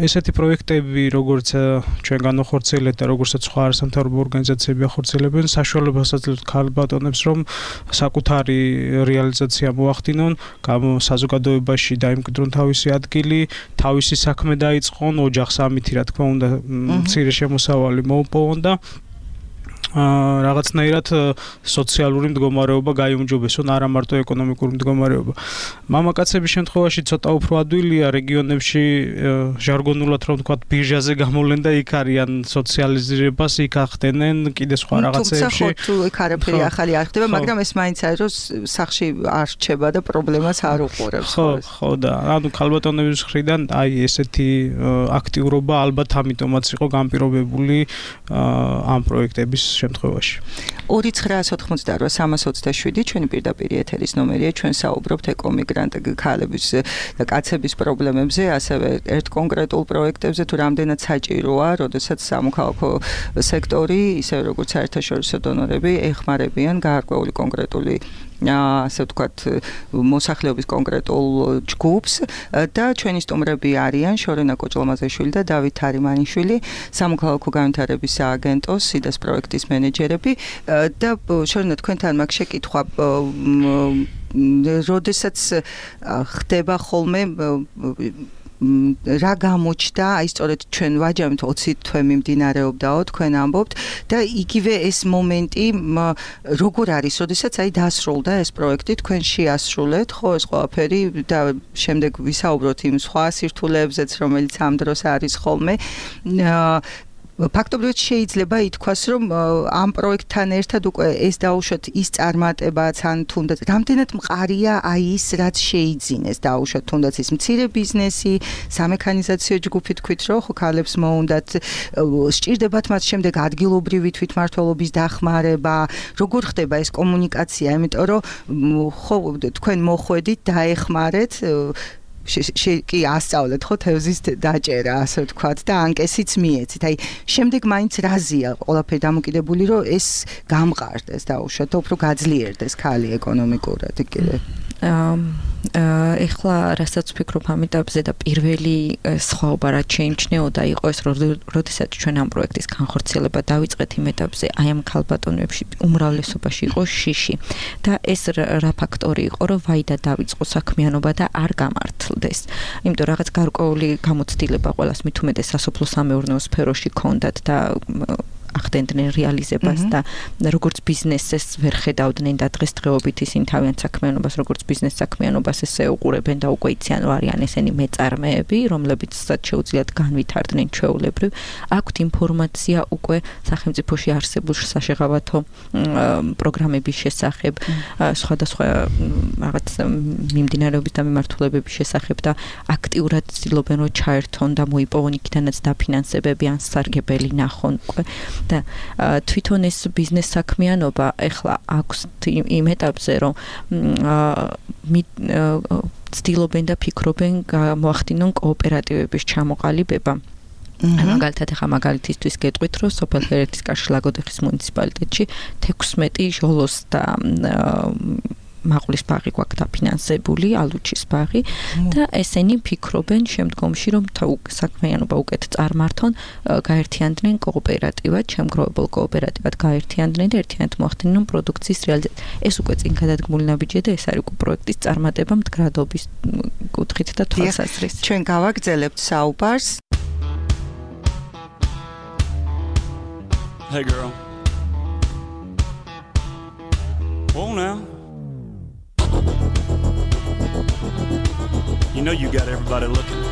ესეთი პროექტები, როგორც ჩვენ განახორციელებთ და როგორცაც სხვა არასამთავრობო ორგანიზაციები ახორციელებენ, საშუალებას აძლევს ქალბატონებს, რომ საკუთარი რეალიზაცია მოახდინონ, საზოგადოებაში დაიმკვიდრონ თავისი ადგილი, თავისი საქმე დაიწყონ, ოჯახს ამითი, რა თქმა უნდა, მცირე შემოსავალი მოუპოვონ და რაღაცნაირად სოციალური მდგომარეობა გაიუმჯობესონ, არა მარტო ეკონომიკური მდგომარეობა. მამაკაცების შემთხვევაში ცოტა უფრო ადვილია რეგიონებში ჟარგონულად რომ ვთქვათ ბირჟაზე გამოვლენ და იქ არიან სოციალიზირებას, იქ ახდენენ კიდე სხვა რაღაცეებში. თუმცა თუ იქ არაფერი ახალი არ ხდება, მაგრამ ეს მაინც არის რომ სახში არ რჩება და პრობლემას არ უყურებს. ხო და ანუ ქალბატონების მხრიდან აი ესეთი აქტიურობა ალბათ ამიტომაც იყო განპირობებული ამ პროექტების შემთხვევაში. 2988-327 ჩვენი პირდაპირ ეთერის ნომერია, ჩვენ საუბრობთ ეკომიგრანტ ქალების და კაცების პრობლემებზე, ასევე ერთ კონკრეტულ პროექტებზე, თუ რამდენად საჭიროა, როდესაც სამოქალაქო სექტორი, ისე როგორც საერთაშორისო დონორები ეხმარებიან გარკვეული კონკრეტული ასე ვთქვათ, მოსახლეობის კონკრეტულ ჯგუფს და ჩვენი სტუმრები არიან შორენა კოჭლომაზეშვილი და დავით თარიმანიშვილი, სამოქალაქო განვითარების სააგენტოს სიდას პროექტის მენეჯერები და შორენა თქვენთან მაგ შეკითხვა როდესაც ხდება ხოლმე რა გამოჩნდა, აი სწორედ ჩვენ ვაჯამით 20 თვე მიმდინარეობდაო, თქვენ ამბობთ და იგივე ეს მომენტი როგორ არის, როდესაც აი დასრულდა ეს პროექტი, თქვენ შეასრულეთ, ხო ეს ყველაფერი და შემდეგ ვისაუბროთ იმ სხვა სირთულეებზეც, რომელიც ამ დროს არის ხოლმე. ფაქტობრივად შეიძლება ითქვას, რომ ამ პროექტთან ერთად უკვე ეს დაუშვათ ის წარმატებაც, ან თუნდაც რამდენად მყარია აი ის, რაც შეიძინეს დაუშვათ თუნდაც ის მცირე ბიზნესი, სამექანიზაციო ჯგუფი თქვით, რომ ხო ქალებს მოუნდათ, სჭირდებათ მათ შემდეგ ადგილობრივი თვითმმართველობის დახმარება, როგორ ხდება ეს კომუნიკაცია, იმიტომ რომ ხო თქვენ მოხვედით, დაეხმარეთ კი ასწავლეთ ხო თევზის დაჭერა ასე ვთქვათ და ანკესიც მიეცით. აი შემდეგ მაინც რაზია ყველაფერი დამოკიდებული რომ ეს გამყარდეს დაუშვათ და უფრო გაძლიერდეს ქალი ეკონომიკურად კიდე. ეხლა რასაც ვფიქრობ ამ ეტაპზე და პირველი სხვაობა რაც შეიმჩნეოდა იყო ეს როდესაც ჩვენ ამ პროექტის განხორციელება დავიწყეთ იმ ეტაპზე აი ამ ქალბატონებში უმრავლესობაში იყო შიში და ეს რა ფაქტორი იყო რომ ვაიდა დავიწყო საქმიანობა და არ გამართლდეს იმიტომ რაღაც გარკვეული გამოცდილება ყველას მით უმეტეს სასოფლო-სამეურნეო სფეროში ქონდათ და ახდენდნენ რეალიზებას და როგორც ბიზნესს ვერ ხედავდნენ და დღესდღეობით ისინი თავიანთ საქმიანობას როგორც ბიზნეს საქმიანობას ესე უყურებენ და უკვე იციან რომ არიან ესენი მეწარმეები რომლებიცაც შეუძლიათ განვითარდნენ ჩვეულებრივ აქვთ ინფორმაცია უკვე სახელმწიფოში არსებულ საშეღავათო პროგრამების შესახებ სხვადასხვა რაღაც მიმდინარეობის და მიმართულებების შესახებ და აქტიურად ცდილობენ რომ ჩაერთონ და მოიპოვონ იქიდანაც დაფინანსებები ან სარგებელი ნახონ უკვე და თვითონ ეს ბიზნეს საქმიანობა ეხლა აქვს იმ ეტაპზე რომ ცდილობენ და ფიქრობენ მოახდინონ კოოპერატივების ჩამოყალიბება მაგალითად ახლა მაგალითისთვის გეტყვით რომ სოფელ ჰერეთის კარში ლაგოდეხის მუნიციპალიტეტში 16 ჟოლოს და მაყულის ბაღი გვაქვს დაფინანსებული, ალუჩის ბაღი და ესენი ფიქრობენ შემდგომში რომ საქმიანობა უკეთ წარმართონ, გაერთიანდნენ კოოპერატივად, შემგროვებულ კოოპერატივად გაერთიანდნენ და ერთიანად მოახდინონ პროდუქციის რეალიზაცია. ეს უკვე წინ გადადგმული ნაბიჯია და ეს არის უკვე პროექტის წარმატება მდგრადობის კუთხით და თვალსაზრისით. ჩვენ გავაგრძელებთ საუბარს. Hey girl. Whoa now. You know you got everybody looking.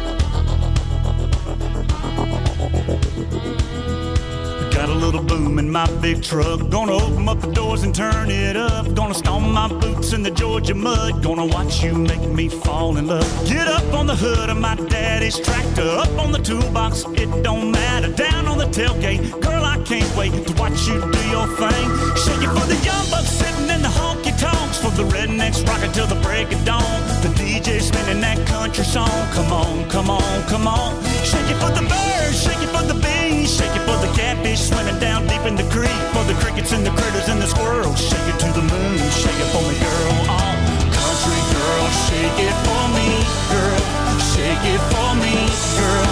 Got a little boom in my big truck. Gonna open up the doors and turn it up. Gonna stomp my boots in the Georgia mud. Gonna watch you make me fall in love. Get up on the hood of my daddy's tractor. Up on the toolbox, it don't matter. Down on the tailgate, girl, I can't wait to watch you do your thing. Shake it for the young bucks sitting in the honky tonks. For the rednecks rocking till the break of dawn. The DJ spinning that country song. Come on, come on, come on. Shake it for the birds, shake it for the bees. Shake it for the catfish swimming down deep in the creek. For the crickets and the critters and the squirrels. Shake it to the moon, shake it for me, girl. Oh, country girl, shake it for me, girl. Shake it for me, girl.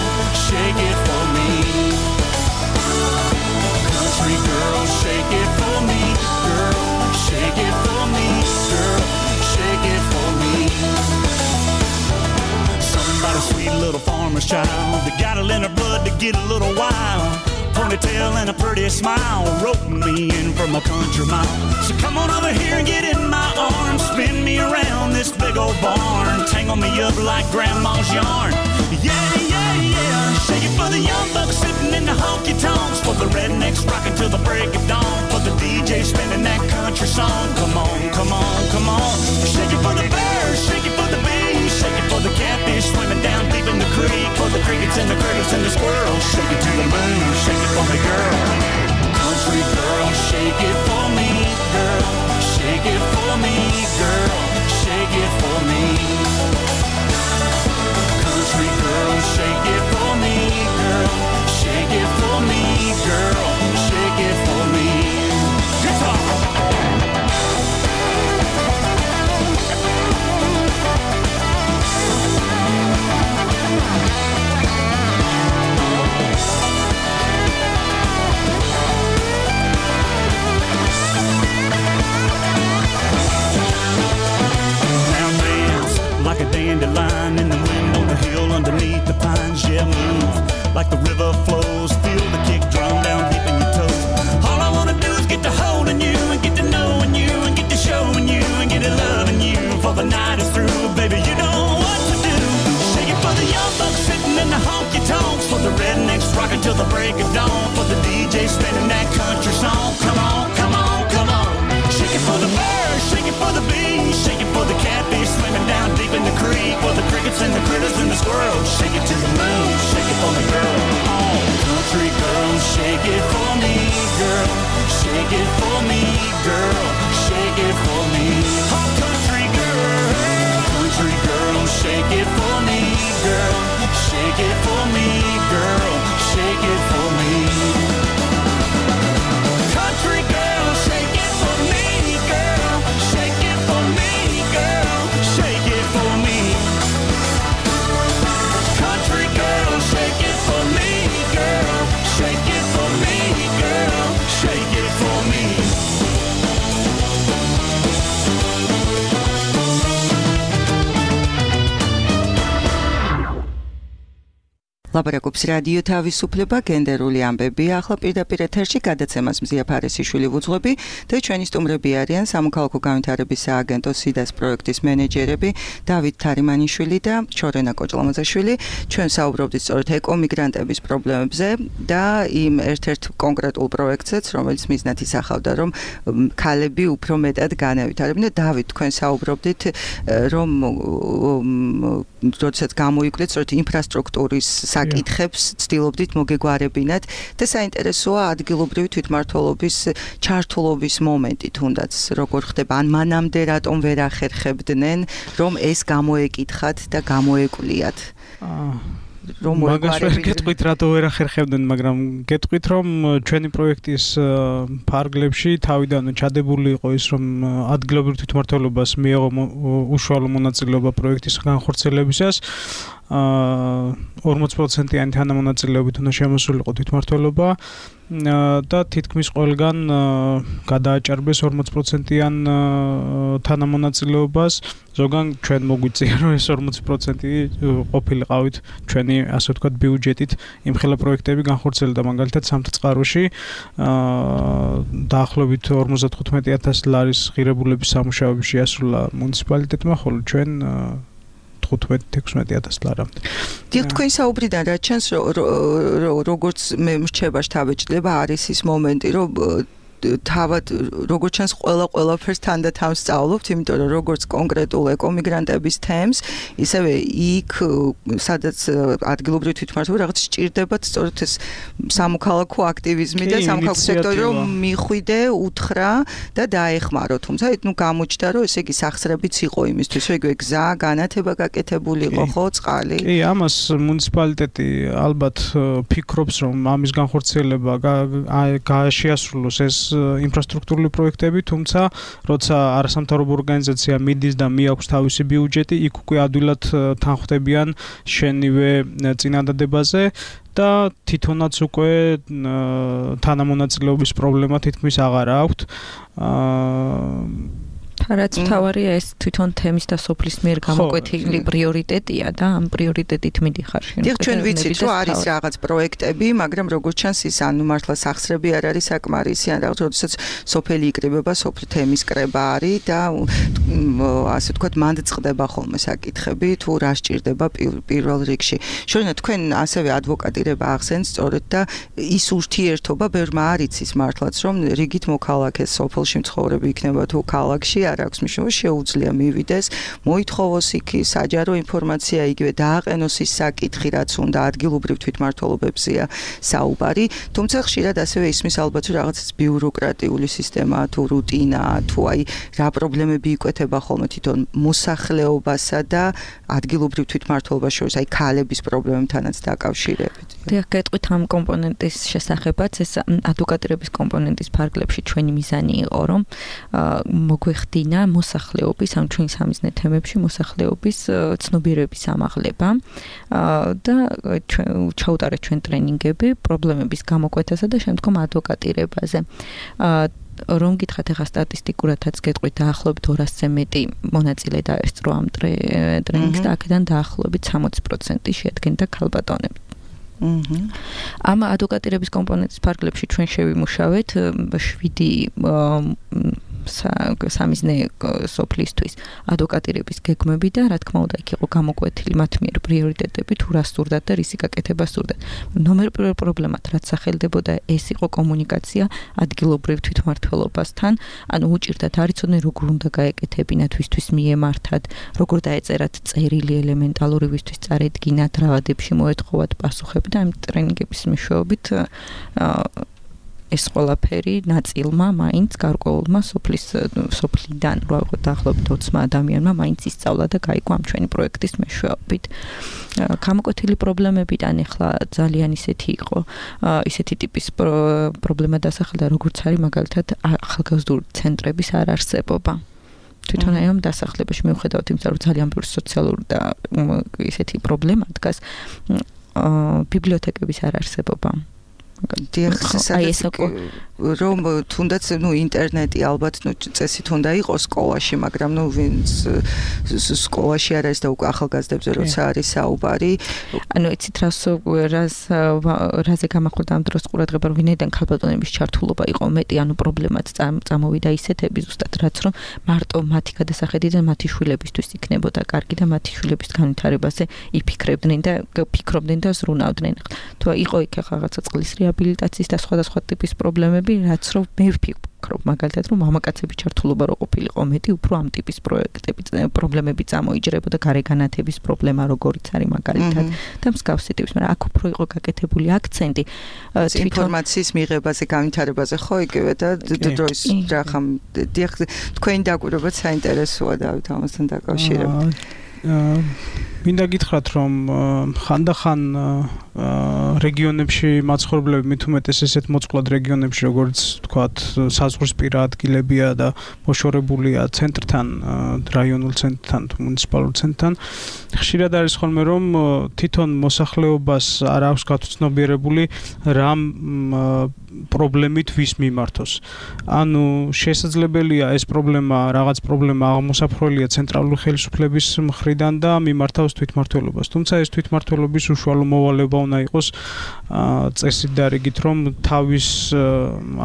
Shake it for me. Country girl, shake it for me, girl. Shake it for me, girl. Shake it for me. Somebody sweet little farmer's child that got it in her blood to get a little wild. Ponytail and a pretty smile, roping me in from a country mile. So come on over here and get in my arms, spin me around this big old barn, tangle me up like grandma's yarn. Yeah, yeah, yeah. Shake it for the young bucks sitting in the honky tonks, for the rednecks rocking till the break of dawn, for the DJ spinning that country song. Come on, come on, come on. Shake it for the birds, shake it for the bees, shake it for the catfish swimming down deep in the creek, for the crickets and the critters and the squirrels. Shake it to the moon, shake it for me, girl. Country girl, shake it for me, girl. Shake it for me, girl. Shake it for me. Country girl, shake it for me, girl. Shake it for me, girl. Shake it for me. Guitar. Like a dandelion in the wind on the hill underneath the pines. Yeah, move like the river flows. Feel the kick drum down deep in your toes. All I wanna do is get to holding you and get to knowing you and get to showing you and get to loving you. For the night is through, baby, you know what to do. Shake it for the young bucks sitting in the honky tonks, for the rednecks rocking till the break of dawn, for the DJ spinning that country song. Come on, come on, come on. Shake it for the birds, shake it for the bees, shake it for the catfish swimming down deep in the creek, for the crickets and the critters and the squirrels. Shake it to the moon, shake it for me, girl. Oh, country girl, shake it for me, girl. Shake it for me, girl. Shake it for me. Oh, country girl, shake it for me, girl. Shake it for me, girl. Shake it for me. Country girl, shake it for me, girl. Shake it for me, girl. Shake it for me. Country girl, shake it for me, girl. Shake it for me, girl. Shake it for me. ლაპარაკობს რადიო თავისუფლება, გენდერული ამბები. ახლა პირდაპირ ეთერში გადაცემას მზია ფარესიშვილი ვუძღვები და ჩვენი სტუმრები არიან სამოქალაქო განვითარების სააგენტოს სიდას პროექტის მენეჯერები დავით თარიმანიშვილი და ჩორენა კოჭლამაზაშვილი. ჩვენ საუბრობდით სწორედ ეკომიგრანტების პრობლემებზე და იმ ერთ-ერთ კონკრეტულ პროექტზეც, რომელიც მიზნად ისახავდა, რომ ქალები უფრო მეტად განავითარებინ და დავით, თქვენ საუბრობდით, რომ როდესაც გამოიკვლიეთ სწორედ ინფრასტრუქტურის საკითხებს ცდილობდით მოგეგვარებინათ და საინტერესოა ადგილობრივი თვითმმართველობის ჩართულობის მომენტი თუნდაც როგორ ხდება ან მანამდე რატომ ვერ ახერხებდნენ რომ ეს გამოეკითხათ და გამოეკვლიათ რომ მოგვარებით გეტყვით რატო ვერ ახერხებდნენ, მაგრამ გეტყვით რომ ჩვენი პროექტის ფარგლებში თავიდან ჩადებული იყო ის რომ ადგილობრივ თვითმმართველობას მიეღო უშუალო მონაწილეობა პროექტის განხორციელებისას 40%-იანი თანამონაწილეობით უნდა შემოსულიყო თვითმმართველობა და თითქმის ყველგან გადააჭარბეს 40%-იან თანამონაწილეობას. ზოგან ჩვენ მოგვიწია რომ ეს 40% ყოფილიყავით ჩვენი ასე ვთქვათ ბიუჯეტით იმხელა პროექტები განხორციელდა მაგალითად სამთწყაროში დაახლოებით 55,000 ლარის ღირებულების სამუშაოები შეასრულა მუნიციპალიტეტმა, ხოლო ჩვენ 15-16,000 ლარამდე. დიახ, თქვენ საუბრიდან რა ჩანს როგორც მე მრჩება შთაბეჭდილება არის ის მომენტი რომ თავად როგორც ჩანს ყველაფერს თანდათან სწავლობთ, იმიტომ რომ როგორც კონკრეტულ ეკომიგრანტების თემს, ისევე იქ სადაც ადგილობრივი თვითმმართველობა რაღაც სჭირდებათ სწორედ ეს სამოქალაქო აქტივიზმი და სამოქალაქო სექტორი რომ მიხვიდე, უთხრა და დაეხმარო. თუმცა გამოჩნდა რომ ესე იგი სახსრებიც იყო იმისთვის, რომ იგივე გზა, განათება გაკეთებული იყო, ხო, წყალი. კი, ამას მუნიციპალიტეტი ალბათ ფიქრობს, რომ ამის განხორციელება შეასრულოს ეს ინფრასტრუქტურული პროექტები, თუმცა როცა არასამთავრობო ორგანიზაცია მიდის და მიაქვს თავისი ბიუჯეტი, იქ უკვე ადვილად თანხმდებიან შენივე წინადადებაზე და თვითონაც უკვე თანამონაწილეობის პრობლემა თითქმის აღარ აქვთ. რაც თავარია ეს თვითონ თემის და სოფლის მიერ გამოკვეთილი პრიორიტეტია და ამ პრიორიტეტით მიდიხარ შენ. დიახ, ჩვენ ვიცით რომ არის რაღაც პროექტები, მაგრამ როგორც ჩანს ის ანუ მართლა სახსრები არ არის საკმარისი, ან რაღაც როდესაც სოფელი იკრიბება, სოფლის თემის კრება არის და ასე ვთქვათ მანდ წყდება ხოლმე საკითხები თუ რა სჭირდება პირველ რიგში. შორინა თქვენ ასევე ადვოკატირება ახსენთ სწორედ და ის ურთიერთობა ბევრმა არ იცის მართლაც რომ რიგით მოქალაქეს სოფელში მცხოვრები იქნება თუ ქალაქში არ აქვს მნიშვნელობა შეუძლია მივიდეს, მოითხოვოს იქ საჯარო ინფორმაცია იგივე დააყენოს ის საკითხი, რაც უნდა ადგილობრივ თვითმმართველობებზეა საუბარი, თუმცა ხშირად ასევე ისმის ალბათ რომ რაღაც ბიუროკრატიული სისტემა თუ რუტინა თუ აი რა პრობლემები იკვეთება ხოლმე თვითონ მოსახლეობასა და ადგილობრივ თვითმმართველობას შორის, აი ქალების პრობლემებთანაც დაკავშირებით. დიახ, გეტყვით ამ კომპონენტის შესახებაც, ეს ადვოკატირების კომპონენტის ფარგლებში ჩვენი მიზანი იყო, რომ მოგვეხდინა მოსახლეობის, ამ ჩვენი სამიზნე თემებში მოსახლეობის ცნობიერების ამაღლება და ჩაუტარეთ ჩვენ ტრენინგები პრობლემების გამოკვეთასა და შემდგომ ადვოკატირებაზე. რომ გითხათ ახლა სტატისტიკურადაც გეტყვით დაახლოებით 200-ზე მეტი მონაწილე დაესწრო ამ ტრენინგს და აქედან დაახლოებით 60% შეადგენდა ქალბატონები. ამ ადვოკატირების კომპონენტის ფარგლებში ჩვენ შევიმუშავეთ 7 სამიზნე სოფლისთვის ადვოკატირების გეგმები და რა თქმა უნდა იქ იყო გამოკვეთილი მათ მიერ პრიორიტეტები თუ რა სურდათ და რისი გაკეთება სურდათ. ნომერ პირველ პრობლემად რაც სახელდებოდა ეს იყო კომუნიკაცია ადგილობრივ თვითმმართველობასთან, ანუ უჭირდათ არ იცოდნენ როგორ უნდა გაეკეთებინათ ვისთვის მიემართათ, როგორ დაეწერათ წერილი ელემენტალური ვისთვის წარედგინათ, რა ვადებში მოეთხოვათ პასუხები და ამ ტრენინგების მეშვეობით ეს ყველაფერი ნაწილმა მაინც გარკვეულმა სოფლიდან დაახლოებით 20 ადამიანმა მაინც ისწავლა და გაიგო ამ ჩვენი პროექტის მეშვეობით. გამოკვეთილი პრობლემებიდან ახლა ძალიან ისეთი იყო, ისეთი ტიპის პრობლემა დასახელდა, როგორც არის მაგალითად ახალგაზრდული ცენტრების არ არსებობა. თვითონ აი ამ დასახლებაში მიუხედავად იმისა, რომ ძალიან ბევრი სოციალური და ისეთი პრობლემა დგას, ბიბლიოთეკების არ არსებობა. რომ თუნდაც ინტერნეტი ალბათ წესით უნდა იყოს სკოლაში, მაგრამ ვინც სკოლაში არ არის და უკვე ახალგაზრდებზე როცა არის საუბარი. ანუ იცით რაზე გამახვილდა ამ დროს ყურადღება, რომ ვინაიდან ქალბატონების ჩართულობა იყო მეტი, ანუ პრობლემაც წამოვიდა ისეთები ზუსტად რაც რომ მარტო მათი გადასახედიდან მათი შვილებისთვის იქნებოდა კარგი და მათი შვილების განვითარებაზე იფიქრებდნენ და ზრუნავდნენ. თუ იყო იქ რაღაცა წყლის რეაბილიტაციის და სხვადასხვა ტიპის პრობლემები, რაც რომ მე ვფიქრობ მაგალითად რომ მამაკაცების ჩართულობა რო ყოფილიყო მეტი, უფრო ამ ტიპის პრობლემები წამოიჯერებოდა, გარეგანათების პრობლემა როგორიც არის მაგალითად და მსგავსი ტიპის, მაგრამ აქ უფრო იყო გაკეთებული აქცენტი ინფორმაციის მიღებაზე, განვითარებაზე, ხო იგივე და დროის რახამ თქვენი დაკვირვებაც საინტერესოა დავით ამასთან დაკავშირებით. მინდა გითხრათ, რომ ხანდახან რეგიონებში მაცხოვრებლები მით უმეტეს ესეთ მოწყვლად რეგიონებში, როგორც თქვათ, საზღვრისპირა ადგილებია და მოშორებულია ცენტრთან, რაიონულ ცენტრთან, მუნიციპალურ ცენტრთან. ხშირად არის ხოლმე, რომ თვითონ მოსახლეობას არ აქვს გაცნობიერებული რამ პრობლემით ვის მიმართოს. ანუ შესაძლებელია ეს რაღაც პრობლემა აღმოსაფრთხოელია ცენტრალური ხელისუფლების მხრიდან და მიმართავს თვითმმართველობას. თუმცა ეს თვითმმართველობის უშუალო მოვალეობა უნდა იყოს წესით დარიგით, რომ თავის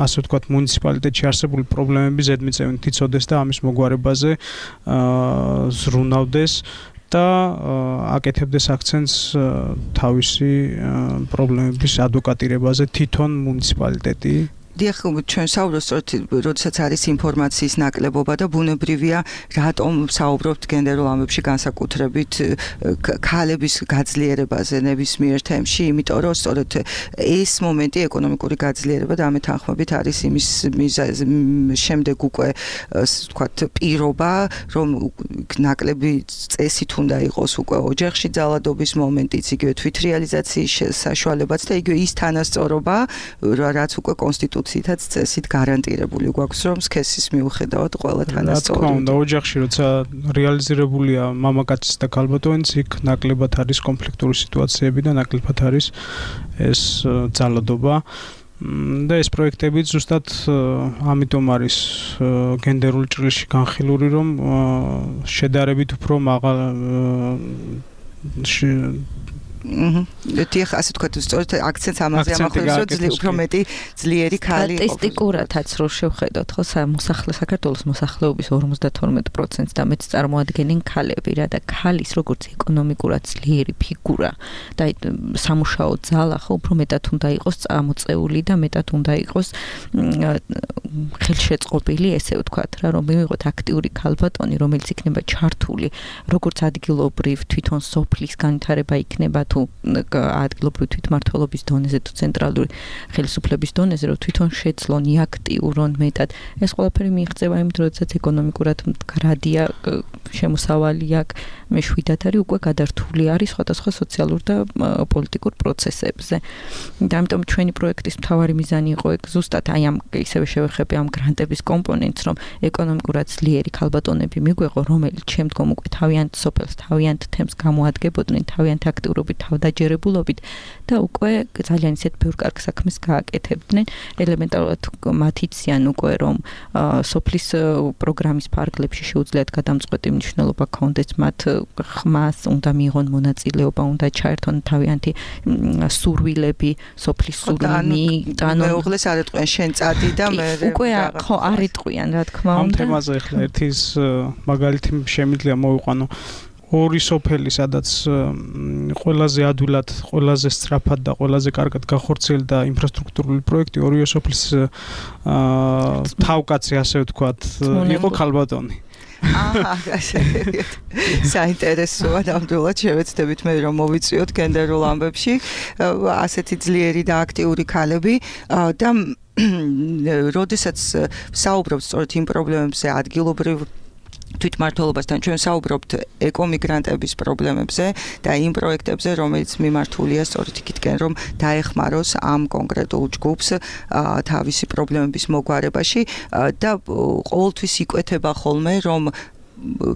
ასე ვთქვათ მუნიციპალიტეტში არსებული პრობლემები ზედმიწევნით იცოდეს და ამის მოგვარებაზე ზრუნავდეს და აკეთებდეს აქცენტს თავისი პრობლემების ადვოკატირებაზე თვითონ მუნიციპალიტეტი. დიახ, ჩვენ საუბრობთ, როდესაც არის ინფორმაციის ნაკლებობა და ბუნებრივია, რატომ საუბრობთ გენდერულ ამბებში განსაკუთრებით ქალების გაძლიერებაზე ნებისმიერ თემში, იმიტომ რომ სწორედ ეს მომენტი ეკონომიკური გაძლიერება და ამით თანხმობით არის იმის შემდეგ უკვე ვთქვათ პირობა, რომ ნაკლები წესით უნდა იყოს უკვე ოჯახში ძალადობის მომენტიც, იგივე თვითრეალიზაციის საშუალებაც და იგივე ის თანასწორობა, რაც უკვე კონსტიტუციითაც წესით გარანტირებული გვაქვს, რომ სქესის მიუხედავად ყველა თანასწორი. რა თქმა უნდა, ოჯახში როცა რეალიზირებულია მამაკაცის და ქალბატონის, იქ ნაკლებად არის კონფლიქტური სიტუაციები და ნაკლებად არის ეს ძალადობა. და ეს პროექტები ზუსტად ამიტომ არის გენდერულ ჭრილში განხილული, რომ შედარებით უფრო დიახ, ასე ვთქვათ, სწორედ აქცენტს ამაზე ამახვილებს, რომ უფრო მეტი ძლიერი ქალი ყოფილიყო. სტატისტიკურადაც რო შევხედოთ, ხო, საქართველოს მოსახლეობის 52% და მეც წარმოადგენენ ქალები რა და ქალის როგორც ეკონომიკურად ძლიერი ფიგურა და სამუშაო ძალა ხო უფრო მეტად უნდა იყოს წამოწეული და მეტად უნდა იყოს ხელშეწყობილი, ესე ვთქვათ რა, რომ მივიღოთ აქტიური ქალბატონი, რომელიც იქნება ჩართული როგორც ადგილობრივ თვითონ სოფლის განვითარება იქნება თუ ადგილობრივი თვითმმართველობის დონეზე თუ ცენტრალური ხელისუფლების დონეზე, რომ თვითონ შეძლონ აქტიურონ მეტად. ეს ყველაფერი მიიღწევა იმით, როდესაც ეკონომიკურად მდგრადია შემოსავალი აქვს, მეშვიდად არის უკვე გადართული არის სხვადასხვა სოციალურ და პოლიტიკურ პროცესებზე. და ამიტომ ჩვენი პროექტის მთავარი მიზანი იყო ზუსტად აი ამ ისევე შევეხები ამ გრანტების კომპონენტს, რომ ეკონომიკურად ძლიერი ქალბატონები მიგვეღო, რომელიც შემდგომ უკვე თავიანთ სოფელს, თავიანთ თემს გამოადგებოდნენ, თავიანთ აქტიურობით, თავდაჯერებულობით და უკვე ძალიან ისეთ ბევრ კარგ საქმეს გააკეთებდნენ. ელემენტარულად მათ იციან უკვე, რომ სოფლის პროგრამის ფარგლებში შეუძლიათ გადამწყვეტი მნიშვნელობა ქონდეს, მათ ხმას უნდა მიიღონ მონაწილეობა, უნდა ჩაერთონ თავიანთი სურვილები, სოფლის სურვილი, მეუღლეს არ ეტყვიან შენ წადი და მე უკვე ხო არ ეტყვიან, რა თქმა უნდა. ამ თემაზე ახლა ერთის მაგალითი შემიძლია მოვიყვანო. ორი სოფელი, სადაც ყველაზე ადვილად, ყველაზე სწრაფად და ყველაზე კარგად გახორციელდა ინფრასტრუქტურული პროექტი, ორივე სოფლის თავკაცი, ასე ვთქვათ, იყო ქალბატონი. საინტერესოა, ნამდვილად შევეცდებით მე რომ მოვიწვიოთ გენდერულ ამბებში ასეთი ძლიერი და აქტიური ქალები და როდესაც საუბრობთ სწორედ იმ პრობლემებზე ადგილობრივ თვითმმართველობასთან, ჩვენ საუბრობთ ეკომიგრანტების პრობლემებზე და იმ პროექტებზე, რომელიც მიმართულია სწორედ იქითკენ, რომ დაეხმაროს ამ კონკრეტულ ჯგუფს თავისი პრობლემების მოგვარებაში და ყოველთვის იკვეთება ხოლმე, რომ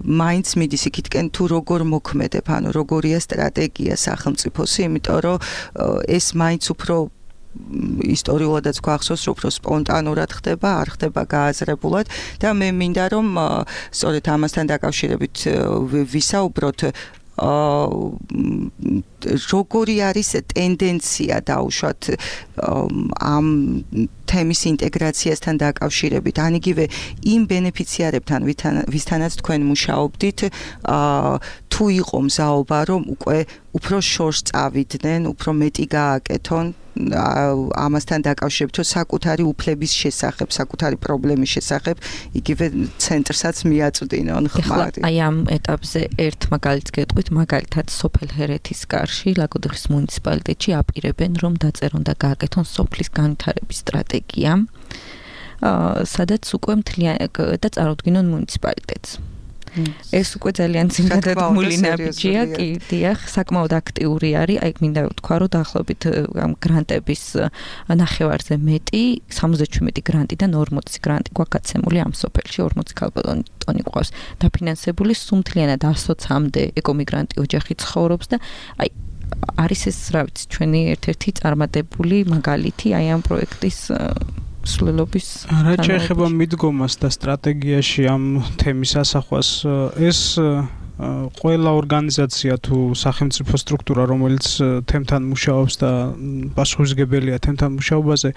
მაინც მიდის იქითკენ თუ როგორ მოქმედებ, ანუ როგორია სტრატეგია სახელმწიფოსი, იმიტომ რომ ეს მაინც უფრო ისტორიულადაც გვახსოვს, რომ უფრო სპონტანურად ხდება, არ ხდება გააზრებულად და მე მინდა რომ სწორედ ამასთან დაკავშირებით ვისაუბროთ როგორი არის ტენდენცია დაუშვათ ამ თემის ინტეგრაციასთან დაკავშირებით, ან იგივე იმ ბენეფიციარებთან, ვისთანაც თქვენ მუშაობდით, თუ იყო მზაობა, რომ უკვე უფრო შორს წავიდნენ, უფრო მეტი გააკეთონ ამასთან დაკავშირებით, რომ საკუთარი უფლების შესახებ, საკუთარი პრობლემის შესახებ, იგივე ცენტრსაც მიაწვდინონ ხმარი. აი ამ ეტაპზე ერთ მაგალითს გეტყვით, მაგალითად სოფელ ჰერეთის კარში, ლაგოდეხის მუნიციპალიტეტში აპირებენ, რომ დაწერონ და გააკეთონ სოფლის განვითარების სტრატეგია, სადაც უკვე და წარუდგინონ მუნიციპალიტეტს. ეს უკვე ძალიან ძინდადადმული ნაბიჯია, კი, დიახ, საკმაოდ აქტიური არის. აი მინდა ვთქვა, რომ დაახლოებით ამ გრანტების ნახევარზე მეტი, 77 გრანტიდან 40 გრანტი გვაქვს გაცემული ამ სოფელში, 40 ქალბატონი ყავს დაფინანსებული, სუმთლიანად 120-მდე ეკომიგრანტი ოჯახი ცხოვრობს და აი არის ეს, რა ვიცი, ჩვენი ერთ-ერთი წარმატებული მაგალითი აი ამ პროექტის სრულობის. რა შეეხება მიდგომას და სტრატეგიაში ამ თემის ასახვას, ეს ყველა ორგანიზაცია თუ სახელმწიფო სტრუქტურა, რომელიც თემთან მუშაობს და პასუხისმგებელია თემთან მუშაობაზე,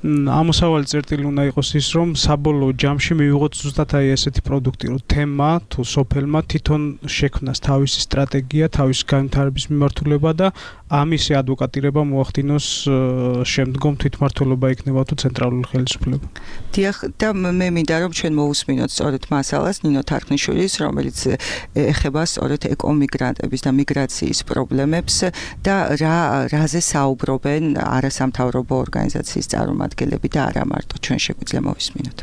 ამოსავალი წერტილი უნდა იყოს ის, რომ საბოლოო ჯამში მივიღოთ ზუსტად აი ესეთი პროდუქტი, რომ თემა თუ სოფელმა თვითონ შექმნას თავისი სტრატეგია, თავისი განვითარების მიმართულება და ამისი ადვოკატირება მოახდინოს შემდგომ თვითმმართველობა იქნება თუ ცენტრალური ხელისუფლება. დიახ, და მე მინდა რომ ჩვენ მოусმინოთ სწორედ მასალას ნინო თარხნიშვილის, რომელიც ეხება სწორედ ეკომიგრანტების და მიგრაციის პრობლემებს და რაზე საუბრობენ არასამთავრობო ორგანიზაციის წარმომადგენლები და არა მარტო ჩვენ შეგვიძლია მოვისმინოთ.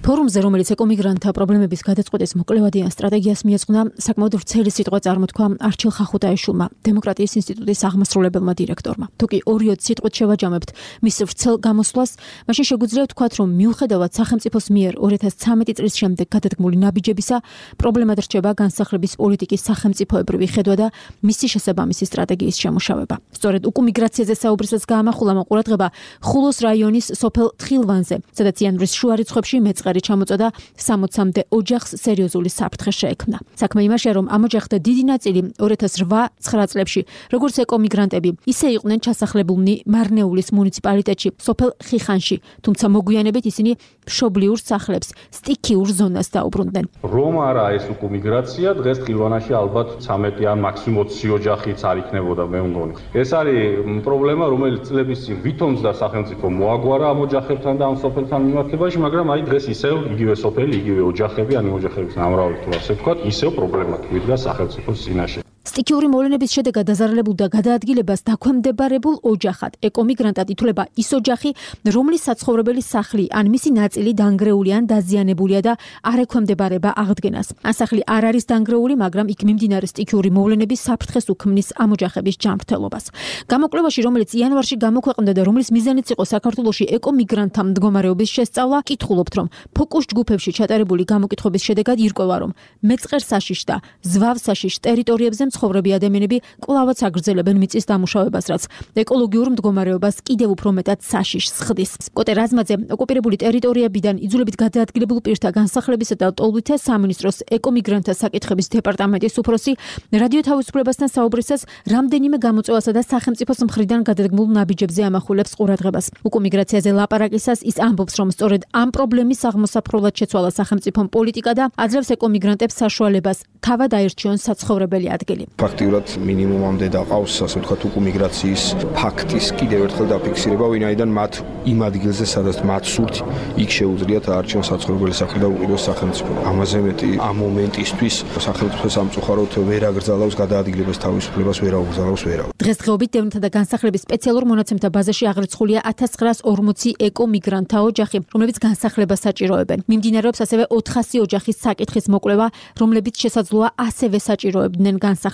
ფორუმზე, რომელიც ეკომიგრანტთა პრობლემების გადაწყვეტის მოკვლევადიან სტრატეგიას მიეძღვნა, საკმაოდ ვრცელი სიტყვა წარმოთქვა არჩილ ხახუტაიშვილმა, დემოკრატიის ინსტიტუტის აღმასრულებელმა დირექტორმა. თუკი 2-20 სიტყვით შევაჯამებთ მის ვრცელ გამოსვლას, მაშინ შეგვიძლია ვთქვათ, რომ მიუხედავად სახელმწიფოს მიერ 2013 წლის შემდეგ გადადგმული ნაბიჯებისა, პრობლემად რჩება განსახლების პოლიტიკის სახელმწიფოებრივი ხედვა და მისი შესაბამისი სტრატეგიის შემუშავება. სწორედ ეკომიგრაციაზე საუბრისას გაამახვილა ყურადღება ხულოს რაიონის სოფელ თხილვანზე, სადაც იანვრის შუა რიცხვებში მეწყერი ჩამოწოდა 60-მდე ოჯახს სერიოზული საფრთხე შეექმნა. საქმე იმაშია, რომ ამ ოჯახთა დიდი ნაწილი 2008-9 წლებში, როგორც ეკომიგრანტები, ისე იყვნენ ჩასახლებულნი მარნეულის მუნიციპალიტეტში, სოფელ ხიხანში, თუმცა მოგვიანებით ისინი მშობლიურ სახლებს, სტიქიურ ზონას დაუბრუნდნენ. რომ არა ეს ეკომიგრაცია, დღეს თხილვანაში ალბათ 13 ან მაქსიმუმ 20 ოჯახიც არ იქნებოდა, მე მგონი. ეს არის პრობლემა, რომელიც წლების წინ ვითომს და სახელმწიფო მოაგვარა ამ ოჯახებთან და ამ სოფელთან მიმართებაში, მაგრამ აი დღეს ისევ იგივე სოფელი, იგივე ოჯახები, ან ოჯახების ნამრავალი თუ ასე ვთქვათ, ისევ პრობლემად ვიდგა სახელმწიფოს წინაშე. სტიქიური მოვლენების შედეგად დაზარალებულ და გადაადგილებას დაქვემდებარებულ ოჯახად ეკომიგრანტად ითვლება ის ოჯახი, რომლის საცხოვრებელი სახლი ან მისი ნაწილი დანგრეული ან დაზიანებულია და არ ექვემდებარება აღდგენას. ან სახლი არ არის დანგრეული, მაგრამ იქ მიმდინარე სტიქიური მოვლენების საფრთხეს უქმნის ამ ოჯახების ჯანმრთელობას. გამოკვლევაში, რომელიც იანვარში გამოქვეყნდა და რომლის მიზანიც იყო საქართველოში ეკომიგრანტთა მდგომარეობის შესწავლა, კითხულობთ, რომ ფოკუს ჯგუფებში ჩატარებული გამოკითხების შედეგად ირკვევა, რომ მეწყერსაშიშ და ზვავსაშიშ ტერიტორიებზე მცხოვრები ადამიანები კვლავაც აგრძელებენ მიწის დამუშავებას, რაც ეკოლოგიურ მდგომარეობას კიდევ უფრო მეტად საშიშს ხდის. კოტე რაზმაძე ოკუპირებული ტერიტორიებიდან იძულებით გადაადგილებულ პირთა განსახლებისა და ტოლვითე სამინისტროს ეკომიგრანტთა საკითხების დეპარტამენტის უფროსი რადიო თავისუფლებასთან საუბრისას რამდენიმე გამოწვევასა და სახელმწიფოს მხრიდან გადადგმულ ნაბიჯებზე ამახვილებს ყურადღებას. ეკომიგრაციაზე ლაპარაკისას ის ამბობს, რომ სწორედ ამ პრობლემის აღმოსაფრულად შეცვალა სახელმწიფო პოლიტიკა და აძლევს ეკომიგრანტებს საშუალებას თავად აირჩიონ საცხოვრებელი ადგილი. ფაქტიურად მინიმუმამდე დაყავს, ასე ვთქვათ, ეკომიგრაციის ფაქტის კიდევ ერთხელ დაფიქსირება, ვინაიდან მათ იმ ადგილზე, სადაც მათ სურთ, იქ შეუძლიათ აარჩიონ საცხოვრებელი სახლი და უყუროს სახელმწიფო. ამაზე მეტი ამ მომენტისთვის სახელმწიფო სამწუხაროდ ვერ აგრძელავს გადაადგილებას თავისუფლებას, ვერ აუგზავნებს ვერავინ. დღესდღეობით დევნთა და განსახლების სპეციალურ მონაცემთა ბაზაში აღრიცხულია 1940 ეკომიგრანტთა ოჯახი, რომლებიც განსახლებას საჭიროებენ. მიმდინარეობს ასევე 400 ოჯახის საკითხის მოკვლევა, რომლებიც შესაძლოა ასევე საჭიროებდნენ განსახლებას.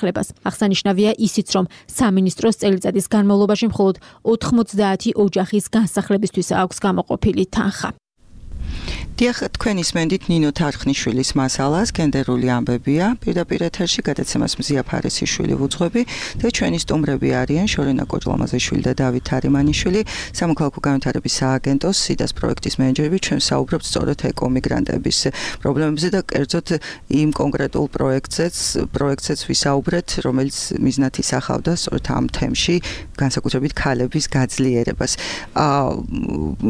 აღსანიშნავია ისიც, რომ სამინისტროს წელიწადის განმავლობაში მხოლოდ 90 ოჯახის განსახლებისთვის აქვს გამოყოფილი თანხა. დიახ, თქვენ ისმენდით ნინო თარხნიშვილის მასალას, გენდერული ამბებია, პირდაპირ ეთერში გადაცემას მზია ფარესიშვილი ვუძღვები და ჩვენი სტუმრები არიან შორენა კოჭლამაზეშვილი და დავით თარიმანიშვილი, სამოქალაქო განვითარების სააგენტოს სიდას პროექტის მენეჯერები. ჩვენ საუბრობთ სწორედ ეკომიგრანტების პრობლემებზე და კერძოდ იმ კონკრეტულ პროექტზეც ვისაუბრეთ, რომელიც მიზნად ისახავდა სწორედ ამ თემში, განსაკუთრებით ქალების გაძლიერებას.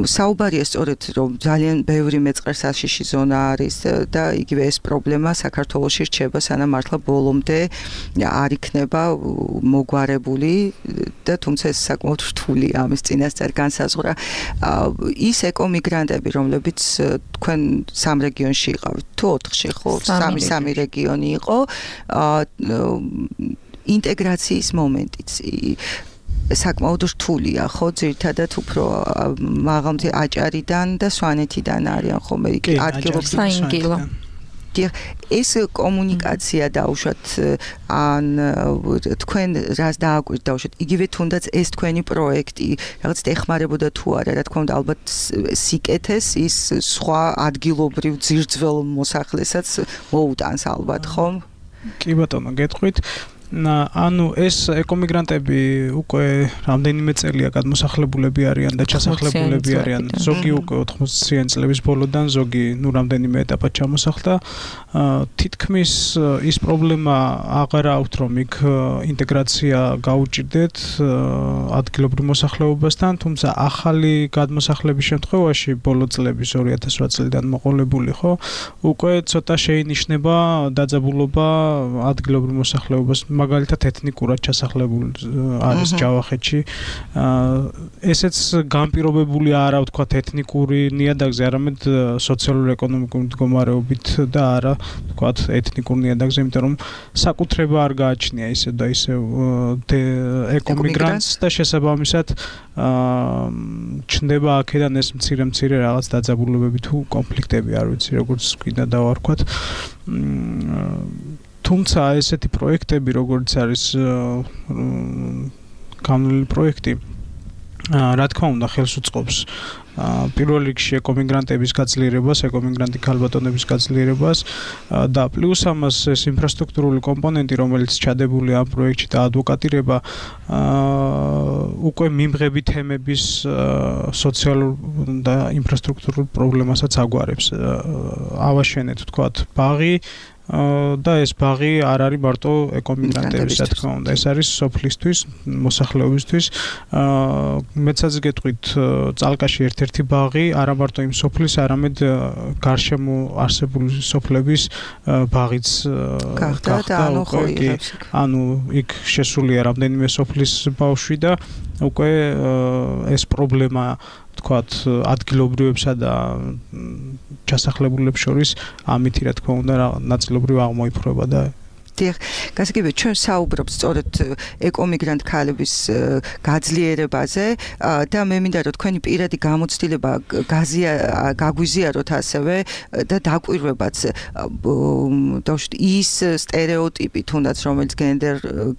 საუბარია სწორედ, რომ ძალიან ბევრი მეწყერსაშიში ზონა არის და იგივე ეს პრობლემა საქართველოში რჩება, სანამ მართლა ბოლომდე არ იქნება მოგვარებული და თუმცა ეს საკმაოდ რთულია ამის წინასწარ განსაზღვრა. ის ეკომიგრანტები, რომლებიც თქვენ 3 რეგიონში იყავით, თუ 4-ში ხო, 3 რეგიონი იყო, ინტეგრაციის მომენტიც საკმაოდ რთულია, ხო, ძირითადად უფრო მაღალმთი აჭარიდან და სვანეთიდან არიან ხოლმე იქ ადგილობრივი. ეს კომუნიკაცია დაუშვათ ან თქვენ რას დააკვირთ დაუშვათ იგივე თუნდაც ეს თქვენი პროექტი რაღაც ეხმარებოდა თუ არა რა თქმა უნდა ალბათ სიკეთეს ის სხვა ადგილობრივ ძირძველ მოსახლესაც მოუტანს ალბათ ხომ კი ბატონო გეტყვით ანუ ეს ეკომიგრანტები უკვე რამდენიმე წელია გადმოსახლებულები არიან და ჩასახლებულები არიან ზოგი უკვე 80-იან წლების ბოლოდან ზოგი რამდენიმე ეტაპად ჩამოსახლდა თითქმის ის პრობლემა აღარ აქვთ რომ იქ ინტეგრაცია გაუჭირდეთ ადგილობრივ მოსახლეობასთან თუმცა ახალი გადმოსახლების შემთხვევაში ბოლო წლების 2008 წლიდან მოყოლებული ხო უკვე ცოტა შეინიშნება დაძაბულობა ადგილობრივ მოსახლეობას მაგალითად ეთნიკურად ჩასახლებულ არის ჯავახეთში. ესეც განპირობებული არა ვთქვა ეთნიკური ნიადაგზე, არამედ სოციალურ-ეკონომიკური მდგომარეობით და არა ვთქვა ეთნიკურ ნიადაგზე, იმიტომ რომ საკუთრება არ გააჩნია ისე და ისე ეკომიგრანტს და შესაბამისად ჩნდება აქედან ეს მცირე რაღაც დაძაბულობები თუ კონფლიქტები, არ ვიცი როგორც გვინდა დავარქვათ. თუმცა ესეთი პროექტები როგორც არის განვლილი პროექტი რა თქმა უნდა ხელს უწყობს პირველ რიგში ეკომიგრანტების გაძლიერებას, ეკომიგრანტი ქალბატონების გაძლიერებას და პლუს ამას ეს ინფრასტრუქტურული კომპონენტი, რომელიც ჩადებული ამ პროექტში და ადვოკატირება უკვე მიმღები თემების სოციალურ და ინფრასტრუქტურულ პრობლემასაც აგვარებს. ავაშენეთ ვთქვათ ბაღი და ეს ბაღი არ არის მარტო ეკომიგრანტების რა თქმა უნდა ეს არის სოფლისთვის მოსახლეობისთვის მეცაც გეტყვით წალკაში ერთ-ერთი ბაღი არა მარტო იმ სოფლის არამედ გარშემო არსებული სოფლების ბაღიც გახდა ანუ იქ შესულია რამდენიმე სოფლის ბავშვი და უკვე ეს პრობლემა ვთქვათ ადგილობრივებსა და ჩასახლებულებს შორის ამითი რა თქმა უნდა ნაწილობრივ აღმოიფრება და გასაგებია ჩვენ საუბრობთ სწორედ ეკომიგრანტ ქალების გაძლიერებაზე და მე მინდა რომ თქვენი პირადი გამოცდილება გაგვიზიაროთ ასევე და დაკვირვებაც დავშვით ის სტერეოტიპი თუნდაც რომელიც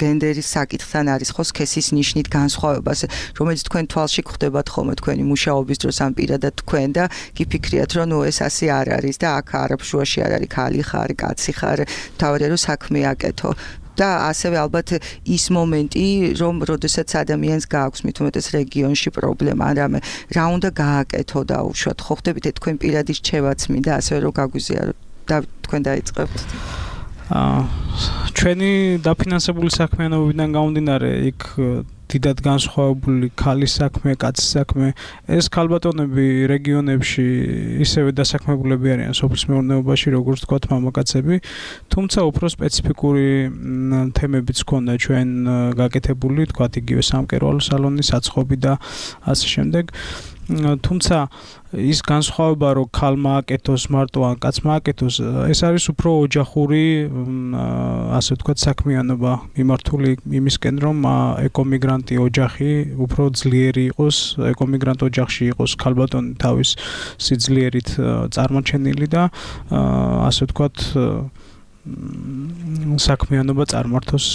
გენდერის საკითხთან არის ხო სქესის ნიშნით განსხვავებას რომელიც თქვენ თვალში გხვდებათ ხოლმე თქვენი მუშაობის დროს ან პირადად თქვენ და გიფიქრიათ რომ ნუ ეს ასე არ არის და აქ არაფშუაში არ არის ქალი ხარ კაცი ხარ თავი რომ საქმე აკეთო და ასევე ალბათ ის მომენტი რომ როდესაც ადამიანს გააქვს მით უმეტეს რეგიონში პრობლემა რამე რა უნდა გააკეთო და უშუალოდ ხო ხდებით თქვენ პირადი რჩევაც მინდა ასევე რომ გაგვიზიაროთ და თქვენ დაიწყებთ ჩვენი დაფინანსებული საქმიანობიდან გამომდინარე იქ დიდად განსხვავებული ქალის საქმე, კაცის საქმე. ეს ქალბატონები რეგიონებში ისევე დასაქმებულები არიან სოფლის მეურნეობაში, როგორც თქვათ მამაკაცები, თუმცა უფრო სპეციფიკური თემებიც ჰქონდა ჩვენ გაკეთებული, თქვათ იგივე სამკერვალო სალონი, საცხობი და ასე შემდეგ. თუმცა ის განსხვავება რომ ქალმა აკეთოს მარტო ან კაცმა აკეთოს ეს არის უფრო ოჯახური ასე ვთქვათ საქმიანობა მიმართული იმისკენ რომ ეკომიგრანტი ოჯახი უფრო ძლიერი იყოს ეკომიგრანტ ოჯახში იყოს ქალბატონი თავის სიძლიერით წარმოჩენილი და ასე ვთქვათ საქმიანობა წარმართოს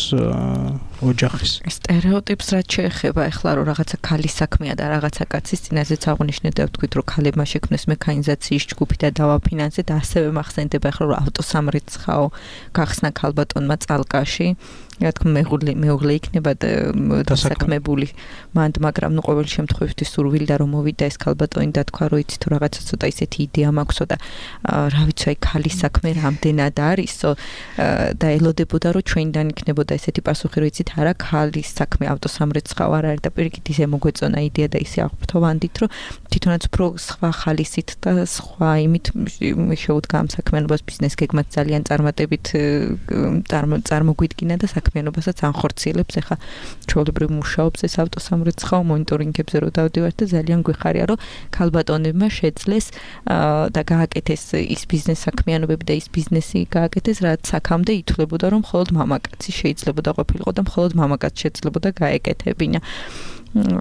ოჯახის. სტერეოტიპს რაც შეეხება ახლა რომ რაღაცა ქალის საქმეა და რაღაცა კაცის წინაზეც აღნიშნეთ და ვთქვით რომ ქალებმა შექმნეს მექანიზაციის ჯგუფი და დავაფინანსეთ ასევე მახსენდება ახლა რომ ავტოსამრიცხაო გახსნა ქალბატონმა წალკაში რა თქმა მეუღლე იქნება დასაქმებული მანდ მაგრამ ნუ ყოველ შემთხვევაში სურვილდა რომ მოვიდა ეს ქალბატონი და თქვა რომ იცით რაღაცა ცოტა ისეთი იდეა მაქვსო და რა ვიცი აი ქალის საქმე რამდენად არისო და ელოდებოდა რომ ჩვენიდან იქნებოდა ესეთი პასუხი რომ იცით არა ქალის საქმე ავტოსამრეცხაო არ არის და პირიქით ისე მოგვეწონა იდეა და ისე აღფრთოვანდით რომ თვითონაც უფრო სხვა ხალისით და სხვა იმით შეუდგა ამ საქმიანობას ბიზნეს გეგმაც ძალიან წარმატებით წარმოგვიდგინა და საქმიანობასაც ანხორციელებს ახლა ჩვეულებრივ მუშაობს ეს ავტოსამრეცხაო მონიტორინგებზე რომ დავდივართ და ძალიან გვიხარია რომ ქალბატონებმა შეძლეს და გააკეთეს ის ბიზნეს საქმიანობები და ის ბიზნესი გააკეთეს რაც აქამდე ითვლებოდა რომ მხოლოდ მამაკაცი შეიძლებოდა ყოფილიყო და მხოლოდ მამაკაცი შეძლებოდა გაეკეთებინა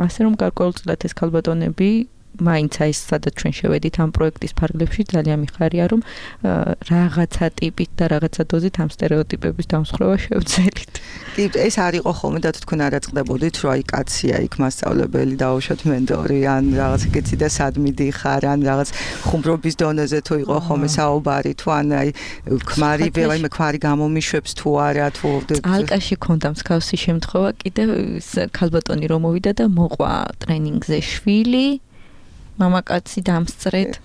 ასე რომ გარკვეულწილად ეს ქალბატონები მაინც ეს სადაც ჩვენ შევედით ამ პროექტის ფარგლებში ძალიან მიხარია რომ რაღაცა ტიპით და რაღაცა დოზით ამ სტერეოტიპების დამსხვრევა შევძელით. კი, ეს არ იყო ხოლმე და თქვენ არ აწყდებოდით რომ აი კაცია იქ მასწავლებელი დაუშვათ მენტორი ან რაღაც ეგეთი და სად მიდიხარ ან რაღაც ხუმრობის დონეზე თუ იყო ხოლმე საუბარი თუ ან აი ქმარი ქმარი გამომიშვებს თუ არა თუ ალკაში ქონდა მსგავსი შემთხვევა კიდევ ქალბატონი რომ მოვიდა და მოყვა ტრენინგზე შვილი მამაკაცი დამსწრეთ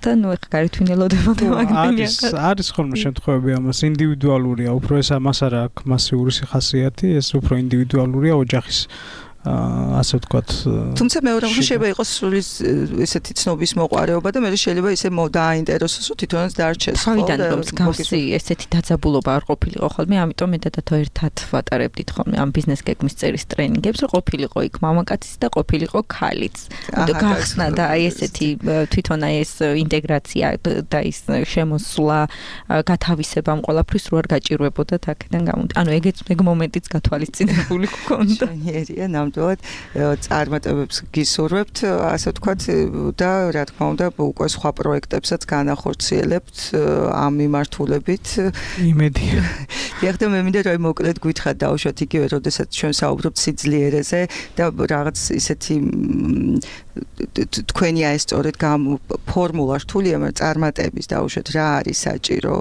და ნუ ეხა გარეთვინელოდებოდა მაგდენია არის ხოლმე შემთხვევები ამას ინდივიდუალურია უფრო ეს ამას არა აქვს მასიური ხასიათი ეს უფრო ინდივიდუალურია ოჯახის ასე ვთქვათ თუმცა მეორე შეიძლება იყოს სრულის ესეთი ცნობის მოყარეობა და მე შეიძლება ისე დააინტერესოს რომ თვითონაც დარჩეს თავიდან რომ მსგავსი ესეთი დაძაბულობა არ ყოფილიყო ხოლმე ამიტომ მე დადათო ერთად ვატარებდით ხოლმე ამ ბიზნეს გეგმის წერის ტრენინგებს რომ ყოფილიყო იქ მამაკაციც და ყოფილიყო ქალიც გახსნა და აი ესეთი თვითონ აი ეს ინტეგრაცია და ის შემოსვლა გათავისება ამ ყველაფრის რო არ გაჭირვებოდა აქედან გამომდინარე ანუ ეგ მომენტიც გათვალისწინებული გქონდა წარმატებებს გისურვებთ, ასე ვთქვათ, და რა თქმა უნდა, უკვე სხვა პროექტებსაც განახორციელებთ ამ მიმართულებით. იმედია. ეხლა მე მინდა რომ მოკლედ გითხრათ დაუშვათ იგივე, როდესაც ჩვენ საუბრობთ სიძლიერეზე და რაღაც ისეთი თქვენი აი სწორედ ფორმულა რთულია, მაგრამ წარმატების დაუშვათ რა არის საჭირო,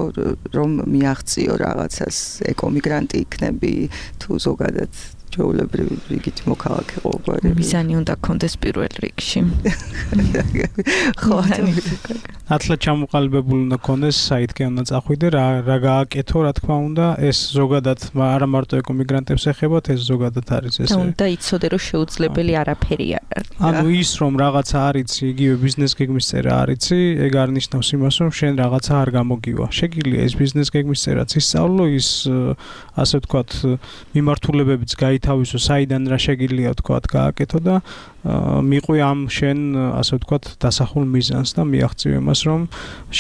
რომ მიაღწიო რაღაცას, ეკომიგრანტი იქნები თუ ზოგადად ჩვეულებრივი რიგით მოქალაქე ყოფილი. მიზანი უნდა გქონდეს პირველ რიგში. ხო, ათლა ჩამოყალიბებული უნდა გქონდეს, საითკენ უნდა წახვიდე, რა გააკეთო, რა თქმა უნდა, ეს ზოგადად არა მარტო ეკომიგრანტებს ეხებათ, ეს ზოგადად არის ესე. და უნდა იცოდე, რომ შეუძლებელი არაფერი არ არის. ანუ ის რომ რაღაცა არიცი, იგივე ბიზნეს გეგმის წერა არიცი, ეგ არ ნიშნავს იმას, რომ შენ რაღაცა არ გამოგივა. შეგიძლია ეს ბიზნეს გეგმის წერაც ისწავლო, ის ასე ვთქვათ, მიმართულებებიც თავისო საიდან რა შეგიძლია ვთქვათ გააკეთო და მიყვი ამ შენ ასე ვთქვათ დასახულ მიზანს და მიაღწიო იმას რომ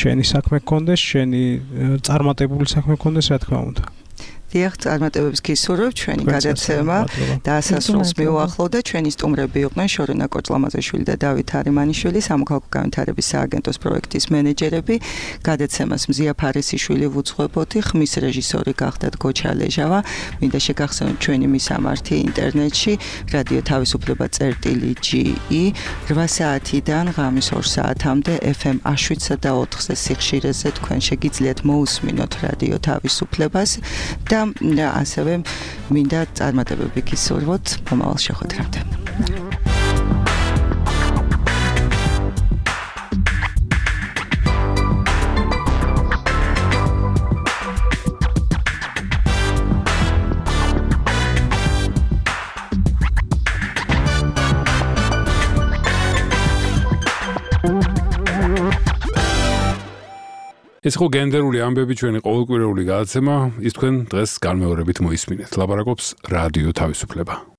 შენი საქმე გქონდეს, შენი წარმატებული საქმე გქონდეს, რა თქმა უნდა. დიახ, წარმატებებს გისურვებთ ჩვენი გადაცემა დასასრულს მიუახლოვდა. ჩვენი სტუმრები იყვნენ შორენა კოჭლამაზაშვილი და დავით არიმანიშვილი, სამოქალაქო განვითარების სააგენტოს პროექტის მენეჯერები. გადაცემას მზია ფარესიშვილი ვუძღვებოდი, ხმის რეჟისორი გახდათ გოჩა ლეჟავა. მინდა შეგახსენოთ ჩვენი მისამართი ინტერნეტში რადიო თავისუფლება წერტილი.ge 8 საათიდან ღამის 2 საათამდე FM 7-სა და 4-ზე სიხშირეზე თქვენ შეგიძლიათ მოусმინოთ რადიო თავისუფლებას და ასევე მინდა წარმატებები გისურვოთ მომავალ შეხვედრამდე. ეს ხო გენდერული ამბები ჩვენი ყოველკვირეული გადაცემა, ის თქვენ დღეს განმეორებით მოისმინეთ. ლაპარაკობს რადიო თავისუფლება.